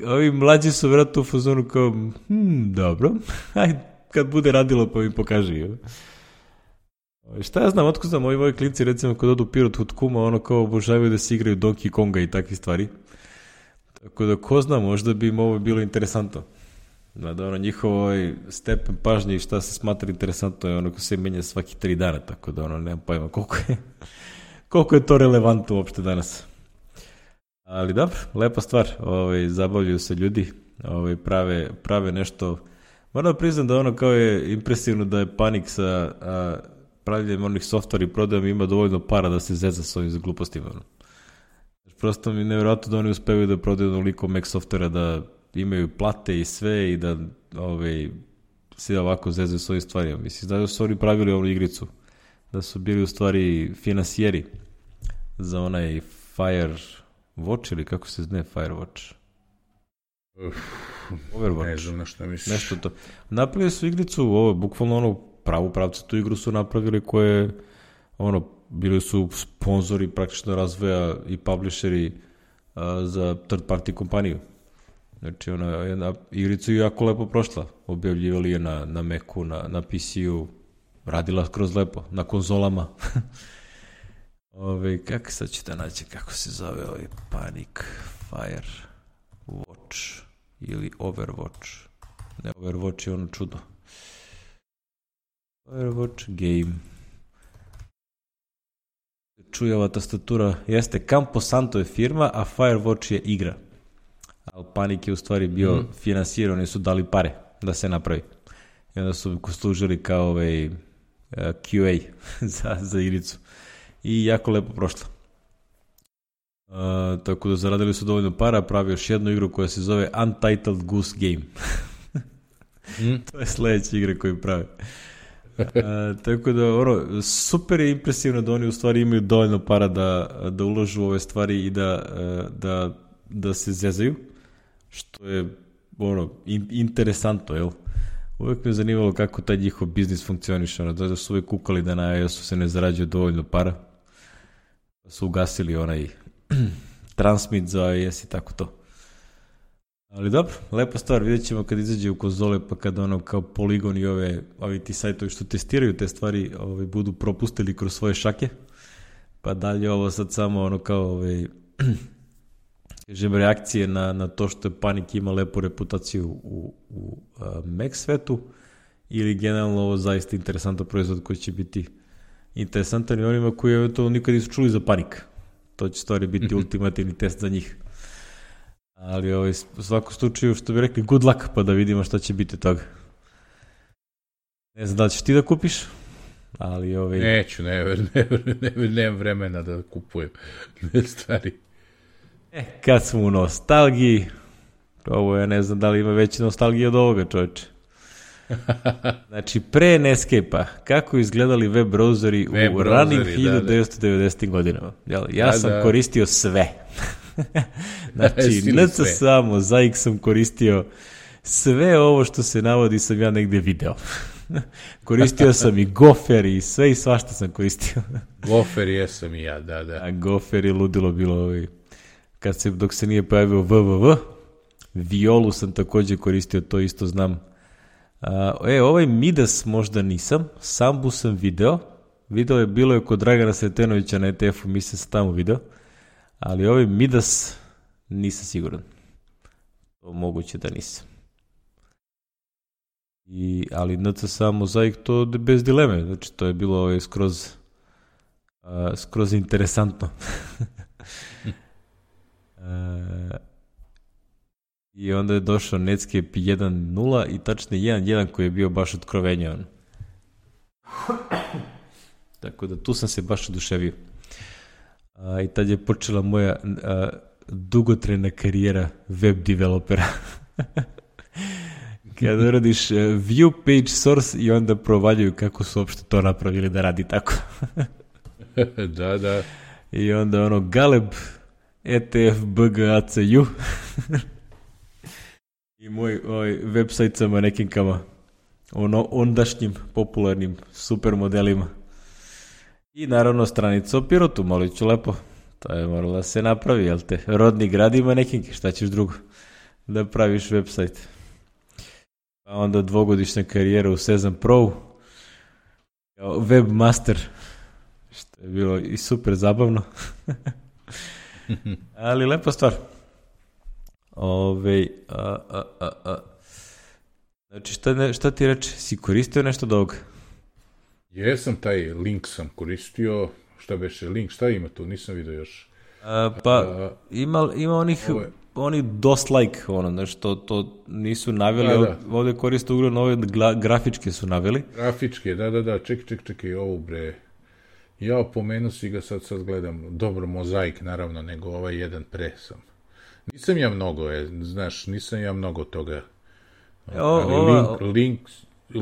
ovi mlađi su vjerojatno u fazonu kao, hm, dobro, ajde, kad bude radilo pa mi pokaži. Šta ja znam, otko znam, ovi moji klinci, recimo, kod odu Pirot kod kuma, ono kao obožavaju da se igraju Donkey Konga i takve stvari. Tako da, ko zna, možda bi im ovo bilo interesantno. Da, ono, njihov ovaj stepen pažnje i šta se smatra interesantno je ono ko se menja svaki tri dana, tako da, ono, nemam pojma koliko je, koliko je to relevantno uopšte danas. Ali dobro, lepa stvar, ovaj, zabavljaju se ljudi, ovaj, prave, prave nešto. Moram da priznam da ono kao je impresivno da je Panik sa a, pravljenjem onih softvera i prodajom ima dovoljno para da se zeza s ovim glupostima. Ono. Prosto mi je nevjerojatno da oni uspevaju da prodaju onoliko Mac softvera, da imaju plate i sve i da ovaj, se ovako zezaju s ovim stvarima. Mislim, da su oni pravili ovu igricu, da su bili u stvari finansijeri za onaj Fire... Watch ili kako se zne Firewatch? Uf, Overwatch. Ne znam na šta misliš. Nešto to. Napravili su igricu, ovo, bukvalno ono, pravu pravcu tu igru su napravili koje, ono, bili su sponzori praktično razvoja i publisheri a, za third party kompaniju. Znači, ona jedna igrica je jako lepo prošla. Objavljivali je na, na Macu, na, na P C-u, radila skroz lepo, na konzolama. Ove, kako sad ću da naći kako se zove ovaj Panic Fire Watch ili Overwatch. Ne, Overwatch je ono čudo. Firewatch game. Čuje ova tastatura, jeste Campo Santo je firma, a Firewatch je igra. Ali Panik je u stvari bio mm. finansirao, oni su dali pare da se napravi. I onda su služili kao ovaj uh, Q A za, za igricu. I jako lepo prošlo. Uh, tako da zaradili su dovoljno para, pravi još jednu igru koja se zove Untitled Goose Game. mm. To je sledeća igra koju prave. Uh, tako da, ono, super je impresivno da oni u stvari imaju dovoljno para da, da uložu u ove stvari i da, da, da se zezaju, što je, ono, in, interesantno, jel? Uvijek me zanimalo kako taj njihov biznis funkcioniše, ono, da su uvijek kukali da na iOS-u se ne zarađuje dovoljno para, da su ugasili onaj transmit za iOS i tako to. Ali dobro, lepa stvar, vidjet ćemo kad izađe u konzole, pa kada ono kao Polygon i ove, ovi ti sajtovi što testiraju te stvari ovaj, budu propustili kroz svoje šake, pa dalje ovo sad samo ono kao ovaj, kažem, reakcije na, na to što je Panik ima lepu reputaciju u, u uh, Mac svetu, ili generalno ovo zaista interesantan proizvod koji će biti interesantan i onima koji to nikad nisu čuli za Panik. To će stvari biti ultimativni test za njih. Ali ovaj, u svakom slučaju, što bi rekli, good luck, pa da vidimo šta će biti toga. Ne znam da li ćeš ti da kupiš, ali ovaj... Neću, ne, ne, ne, ne, nemam vremena da kupujem ne stvari. E, kad smo u nostalgiji, ovo ja ne znam da li ima veće nostalgije od ovoga, čoveče. Znači, pre Netscape-a, kako izgledali web browseri web u ranim hiljadu devetsto devedesetim godinama? Ja, ja da, sam da. koristio sve. Znači, N C samo, za X sam koristio sve ovo što se navodi sam ja negde video. Koristio sam i Gopher i sve i svašta sam koristio. Gopher jesam i ja, da, da. A Gopher je ludilo bilo ovaj, kad se, dok se nije pojavio www. Violu sam također koristio, to isto znam. A, e, ovaj Midas možda nisam, Sambu sam video. Video je bilo je kod Dragana Sretenovića na E T F-u, mislim sam tamo video. Ali ovaj Midas nisam siguran. To moguće da nisam. I, ali N C S A Mozaik to bez dileme. Znači to je bilo ovaj, skroz, uh, skroz interesantno. uh, I onda je došao Netscape jedan nula i tačno jedan jedan koji je bio baš otkrovenjan. Tako da tu sam se baš oduševio. A, I tad je počela moja a, dugotrajna karijera web developera. Kada radiš a, view page source i onda provaljuju kako su uopšte to napravili da radi tako. Da, da. I onda ono Galeb, E T F, B G A C U i moj ovaj, website sa manekinkama, ono, ondašnjim popularnim super modelima. I naravno stranica o Pirotu, molit ću lepo. To je moralo da se napravi, jel te? Rodni grad ima nekinke, šta ćeš drugo? Da praviš website. Pa onda dvogodišnja karijera u Sezam Pro, kao webmaster, što je bilo i super zabavno. Ali lepa stvar. Ove, a, a, a, a. Znači, šta, ne, šta ti reče? Si koristio nešto od ovoga? Jesam, taj link sam koristio. Šta beše link? Šta ima tu? Nisam vidio još. A, pa, a, ima, ima onih, ove... oni dost like, ono, znači, to, to nisu naveli. Da, da. Ovde koriste uglavnom ove gla, grafičke su naveli. Grafičke, da, da, da. Ček, ček, ček, ovo bre. Ja pomenu si ga, sad, sad gledam. Dobro, Mozaik, naravno, nego ovaj jedan pre sam. Nisam ja mnogo, je, znaš, nisam ja mnogo toga. O, ali ova... link, link,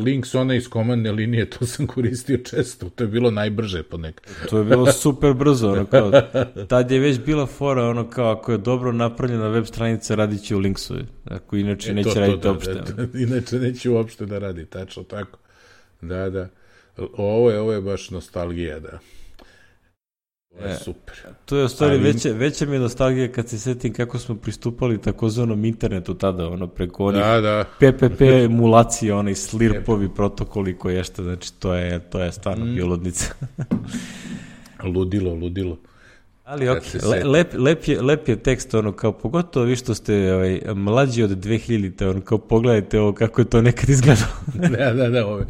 link s one iz komandne linije, to sam koristio često, to je bilo najbrže ponekad. To je bilo super brzo, ono kao, tad je već bila fora, ono kao, ako je dobro napravljena web stranica, radit će u linksu, ako inače e, neće to, raditi to, uopšte. Da, da, inače neće uopšte da radi, tačno tako. Da, da. Ovo je, ovo je baš nostalgija, da. To je super. To je u stvari ali... veća, veća mi je nostalgija kad se setim kako smo pristupali takozvanom internetu tada, ono preko onih da, da. P P P emulacije, onaj slirpovi protokoli koji je što, znači to je, to je stvarno mm. biolodnica. ludilo, ludilo. Ali ok, le, lep, lep, je, lep je tekst, ono kao, pogotovo vi što ste ovaj, mlađi od dve hiljadite, ono kao, pogledajte ovo kako je to nekad izgledalo. da, da, da, ove,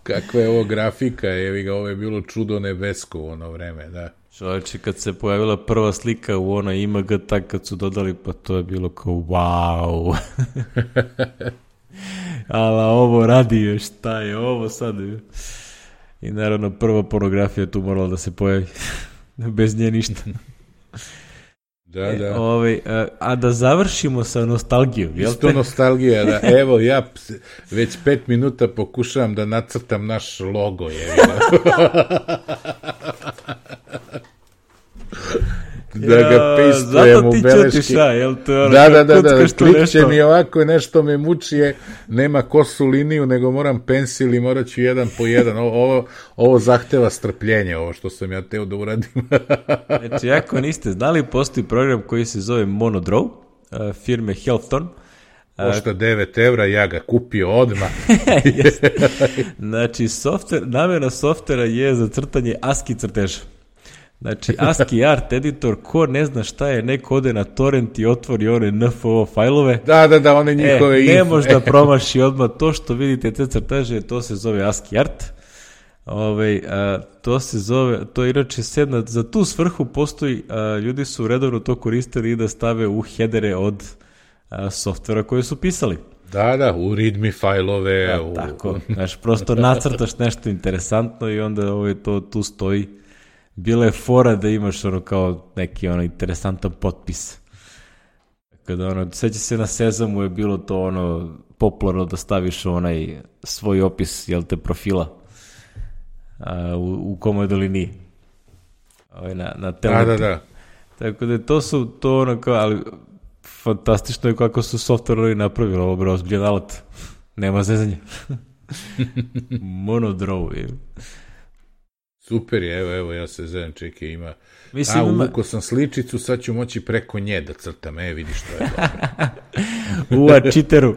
Kakva je ovo grafika, evi ga, ovo je bilo čudo nebesko u ono vreme, da. Čovječe, kad se pojavila prva slika u onoj I M G, tak kad su dodali, pa to je bilo kao wow. Ali ovo radi, šta je ovo sad? I naravno prva pornografija tu morala da se pojavi. Bez nje ništa. Da, da. E, ovaj, a, a da završimo sa nostalgijom, jel te? Isto nostalgija, da. Evo, ja već pet minuta pokušavam da nacrtam naš logo, je. Da ga pejstujem u beleški. Zato ti ša, jel to? Da, da, da, da, klikće mi ovako, nešto me muči je, nema kosu liniju, nego moram pensil i morat ću jedan po jedan. Ovo, ovo, ovo zahteva strpljenje, ovo što sam ja teo da uradim. Znači, ako niste znali, postoji program koji se zove Monodraw, firme Helfton. Košta devet evra, ja ga kupio odmah. Znači, softver, namjena softvera je za crtanje ASCII crteža. Znači, ASCII art editor, ko ne zna šta je, neko ode na torrent i otvori one N F O fajlove. Da, da, da, one njihove e, ne može da promaši odmah to što vidite te crteže, to se zove ASCII art. Ove, a, to se zove, to je inače sedna, za tu svrhu postoji, a, ljudi su redovno to koristili i da stave u headere od a, softvera koje su pisali. Da, da, u readme fajlove. Da, u... tako, znaš, prosto nacrtaš nešto interesantno i onda ove, to tu stoji. Bila je fora da imaš ono kao neki ono interesantan potpis. Kada ono, seća se na Sezamu je bilo to ono popularno da staviš onaj svoj opis, jel te, profila a, u, u komodo liniji. Ovaj, na, na da, da, da. Tako da to su to ono kao, ali fantastično je kako su softverori napravili ovo bro, ozbiljan alat. Nema zezanja. Monodraw je. Super je, evo, evo, ja se zezam, čekaj, ima... Mislim, A, ima... uvukao sam sličicu, sad ću moći preko nje da crtam, e, vidiš što je dobro. Ua, čiteru.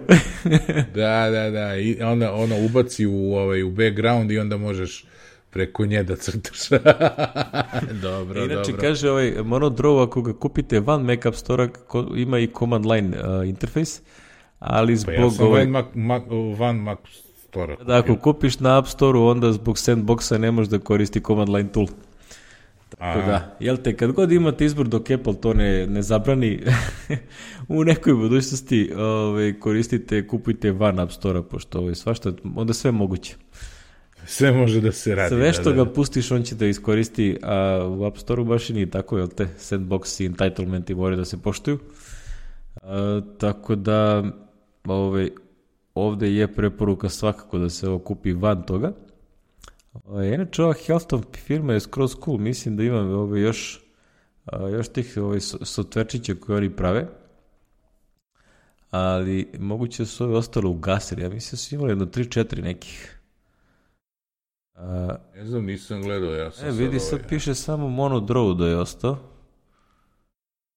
Da, da, da, i onda ona ubaci u, ovaj, u background i onda možeš preko nje da crtaš. Dobro, inače, dobro. kaže ovaj Monodraw, ako ga kupite van Mac App Store, ima i command line uh, interfejs, ali zbog... Pa ja sam ovaj... van Mac, Mac, van Mac Store. Da, ako kupiš na App Store-u, onda zbog Sandboxa ne možeš da koristi command line tool. Tako Aha. da, jel te, kad god imate izbor dok Apple to ne, ne zabrani, u nekoj budućnosti ovaj, koristite, kupujte van App Store-a, pošto ovaj, svašta, onda sve moguće. Sve može da se radi. Sve što da, da. ga pustiš, on će da iskoristi, a u App Store-u baš i nije tako, jel te, Sandbox i entitlementi moraju da se poštuju. A, tako da, ovaj, ovde je preporuka svakako da se ovo kupi van toga. E, inače, ova Helfton firma je skroz cool. Mislim da imam ove još, a, još tih ove softverčića koje oni prave. Ali moguće da su ove ostalo ugasili. Ja mislim da su imali jedno tri četiri nekih. A, ne znam, nisam gledao. Ja sam e, vidi, sad, sad ovaj... piše samo Monodraw da je ostao.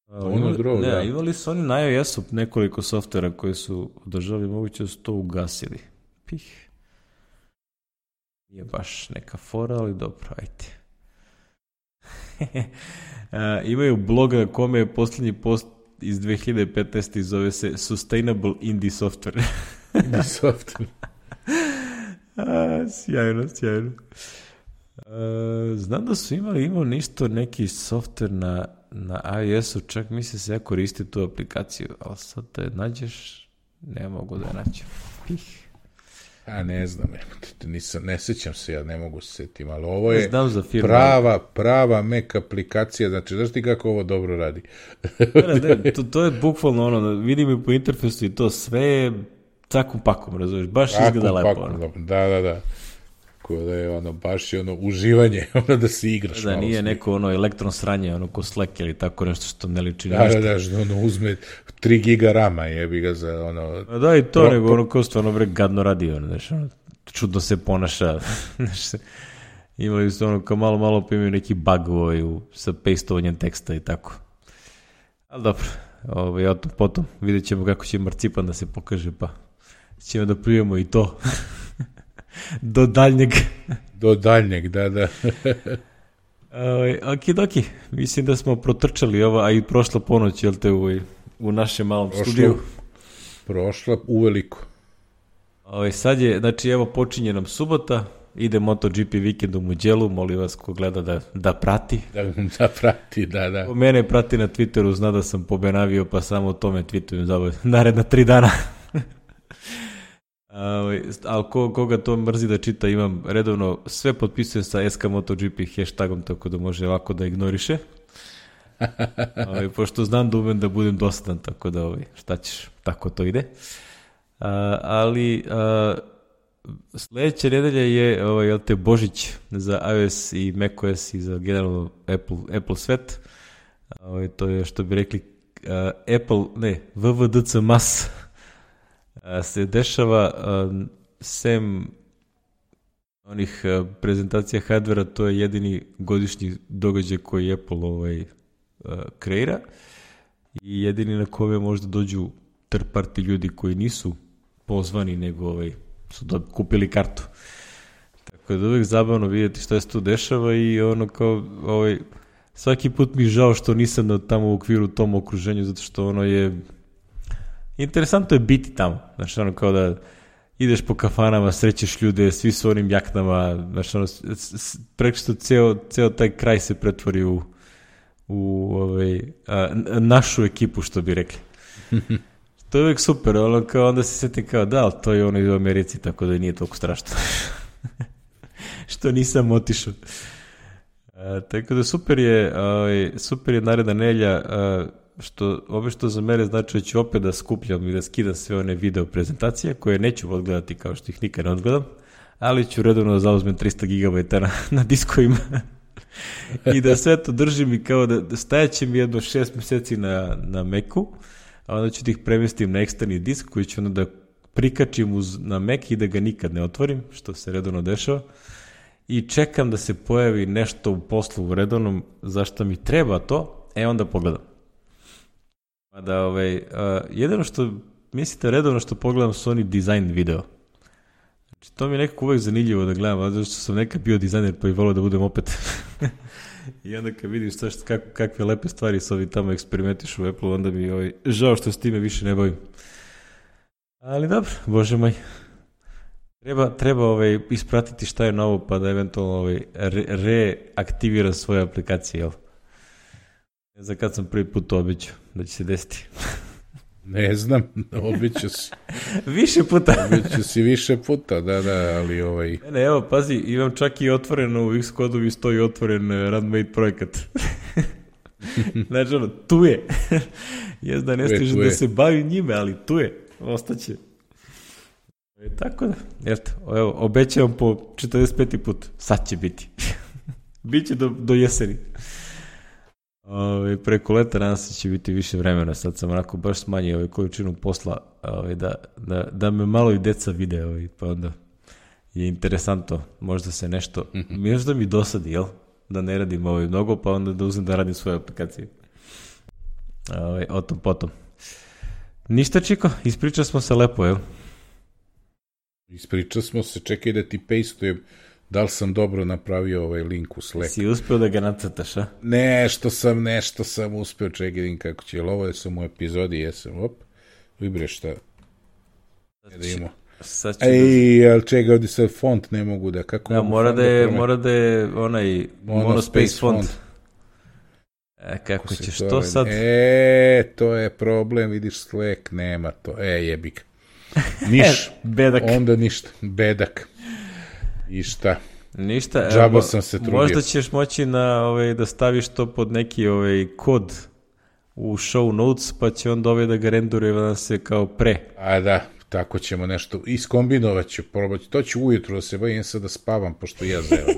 Monodraw, ne, da. Imali su oni na iOS-u nekoliko softvera koji su održali, moguće da su to ugasili. Pih. Nije baš neka fora, ali dobro, ajde. A, imaju bloga kome je posljednji post iz dve hiljade petnaeste. zove se Sustainable Indie Software. Indie Software. A, sjajno, sjajno. A, znam da su imali, imao ništo neki software na, na iOS-u, čak misli se ja koristi tu aplikaciju, ali sad da je nađeš, ne mogu da je nađem. Pih. A ne znam, nisam, ne sećam se, ja ne mogu se setim, ali ovo je firma, prava, prava Mac aplikacija, znači, znaš ti kako ovo dobro radi? ne, ne, to, to je bukvalno ono, vidim i po interfejsu i to sve cakom pakom, razumiješ, baš Cakum izgleda lepo. Pakom, ono. da, da, da. Ko da je ono, baš je ono uživanje, ono da se igraš. Da, malo nije s neko ono elektron sranje, ono ko Slack ili tako nešto što ne liči da, ništa. da, da, što ono uzme tri giga rama, jebi ga za ono... A da, i to, pro, nego ono ko stvarno bre gadno radi, ono, znaš, ono, čudno se ponaša, znaš, imali su ono kao malo, malo pa imaju neki bug ovaj, u, sa pastovanjem teksta i tako. Ali dobro, ovaj, o tom potom, vidjet ćemo kako će Marcipan da se pokaže, pa ćemo da prijemo i to. Do daljnjeg. Do daljnjeg, da, da. Ok, doki, mislim da smo protrčali ovo, a i prošla ponoć, jel te, u, u našem malom prošla, studiju. Prošla uveliko. Ovaj, sad je, znači evo počinje nam subota, ide MotoGP vikend u Mugellu, molim vas ko gleda da, da prati. Da, da prati, da, da. Ko mene prati na Twitteru, zna da sam pobenavio, pa samo o tome tweetujem za naredna tri dana. Ali ko, koga to mrzi da čita, imam redovno, sve potpisujem sa S K MotoGP hashtagom, tako da može ovako da ignoriše. Ovaj, pošto znam da umem da budem dosadan, tako da ovaj, šta ćeš, tako to ide. A, ali a, sledeća nedelja je ovaj, jel te, Božić za iOS i macOS i za generalno Apple, Apple svet. Ovaj, to je, što bi rekli, a, Apple, ne, W W D C mas a, se dešava a, sem onih a, prezentacija hardvera, to je jedini godišnji događaj koji Apple ovaj, a, kreira i jedini na kome možda dođu third party ljudi koji nisu pozvani, nego ovaj, su da kupili kartu. Tako da uvijek zabavno vidjeti šta se tu dešava i ono kao, ovaj, svaki put mi žao što nisam na, tamo u okviru tom okruženju, zato što ono je, interesantno je biti tamo, znači ono kao da ideš po kafanama, srećeš ljude, svi su onim jaknama, znači ono, preko što ceo, ceo taj kraj se pretvori u, u ovaj, a, našu ekipu, što bi rekli. To je uvijek super, ono kao onda se sjetim kao da, ali to je ono iz Americi, tako da nije toliko strašno. Što nisam otišao. A, tako da super je, a, super je naredna nelja, a, što, ove što za mene znači da ću opet da skupljam i da skidam sve one video prezentacije, koje neću odgledati kao što ih nikad ne odgledam, ali ću redovno da zauzmem tristo gigabajta na, na diskovima. I da sve to držim i kao da, da stajaće mi jedno šest meseci na, na Macu, a onda ću da ih premestim na eksterni disk koji ću onda da prikačim uz, na Mac i da ga nikad ne otvorim, što se redovno dešava. I čekam da se pojavi nešto u poslu u redovnom, zašto mi treba to, e onda pogledam. Da, ovaj, uh, jedino što, mislite, redovno što pogledam su oni design video. Znači, to mi je nekako uvek zanimljivo da gledam, zato što sam nekad bio dizajner pa i volio da budem opet. I onda kad vidim šta, šta, kak, kakve lepe stvari se ovi tamo eksperimentišu u Apple, onda mi ovaj, žao što s time više ne bavim. Ali dobro, bože moj. Treba, treba ovaj, ispratiti šta je novo pa da eventualno ovaj, re, reaktiviram svoje aplikacije, jel? Ne znam kad sam prvi put to obećao da će se desiti. Ne znam, obećao si. Više puta. Obećao si više puta, da, da, ali ovaj... Ne, ne, evo, pazi, imam čak i otvoreno, u Xcode'u mi stoji otvoren uh, Randmade projekat. Znači, ono, tu je. Jes da ne stiže da se bavi njime, ali tu je. Ostaće. E, tako da, eto, evo, obećavam po četrdeset peti put. Sad će biti. Biće do, do jeseni. Ove, preko leta nadam se će biti više vremena, sad sam onako baš smanjio ovaj količinu posla, ove, da, da, da me malo i deca vide, ove, pa onda je interesantno, možda se nešto, mm-hmm. možda mi dosadi, jel? Da ne radim ovaj mnogo, pa onda da uzem da radim svoje aplikacije. Ove, o tom potom. Ništa, Čiko, ispričali smo se lepo, jel? Ispričali smo se, čekaj da ti pastujem. Da li sam dobro napravio ovaj link u Slack? Si uspio da ga nacrtaš, a? Nešto sam, nešto sam uspio, čekaj kako će, ovo je sam u epizodi, jesam, op, vibre šta. Da imamo. Ej, ali čega, ovdje sad font ne mogu da, kako... Da, mora da je, mora da je onaj monospace font. font. E, kako, kako ćeš to, to sad? E, to je problem, vidiš Slack, nema to, e, jebik. Niš, bedak. Onda ništa, bedak. I šta? Ništa. Džabo evo, sam se trudio. Možda ćeš moći na, ovaj, da staviš to pod neki ovaj, kod u show notes, pa će onda ovaj da ga renduruje da se kao pre. A da, tako ćemo nešto. Iskombinovat ću, probati. To ću ujutru da se bavim sad da spavam, pošto ja zevam.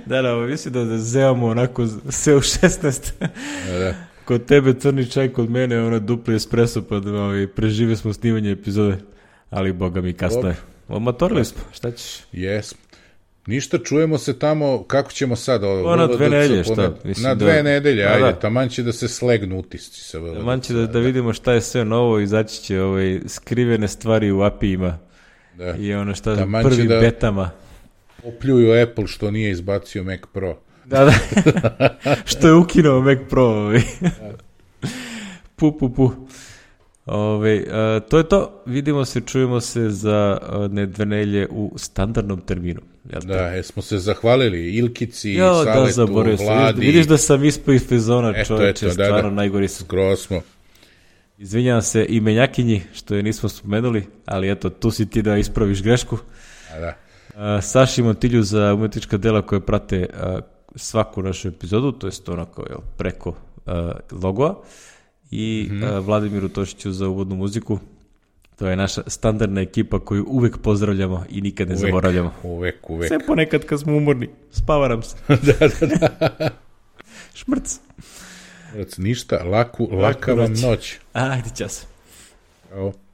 da, da, mislim da, da zevamo onako sve u šesnaest. da, da. Kod tebe crni čaj, kod mene ono dupli espresso, pa da ovaj, prežive smo snimanje epizode. Ali boga mi kasno je. Omatorili smo, šta ćeš? Jesmo. Ništa, čujemo se tamo, kako ćemo sad? O, na dve nedelje, šta? Mislim, na dve da, nedelje, ajde, da. Taman će da se slegnu utisci. Sa taman će da, da vidimo šta je sve novo, izaći će ovaj, skrivene stvari u A P I-ima. Da. I ono šta je prvim da betama. Opljuju Apple što nije izbacio Mac Pro. Da, da. Što je ukinuo Mac Pro. Ovaj. pu, pu, pu. Ove, a, to je to. Vidimo se, čujemo se za a, ne dve nelje u standardnom terminu. Jel da, jesmo se zahvalili Ilkici, jo, Saletu, da, Vladi. Vidiš da sam ispao iz fezona, čovječe, eto, stvarno da, da. najgori sam. Skroz smo. Izvinjavam se i Menjakinji, što je nismo spomenuli, ali eto, tu si ti da ispraviš grešku. A da. A, Saši Montilju za umetnička dela koje prate a, svaku našu epizodu, to je onako jel, preko a, logoa, i mm-hmm. a, Vladimiru Tošiću za uvodnu muziku. To je naša standardna ekipa koju uvek pozdravljamo i nikad ne uvek, zaboravljamo. Uvek, uvek. Sve ponekad kad smo umorni, spavaram se. da, da, da. Šmrc. Šmrc, ništa, laku, laka vam noć. Ajde, čas. Ćao.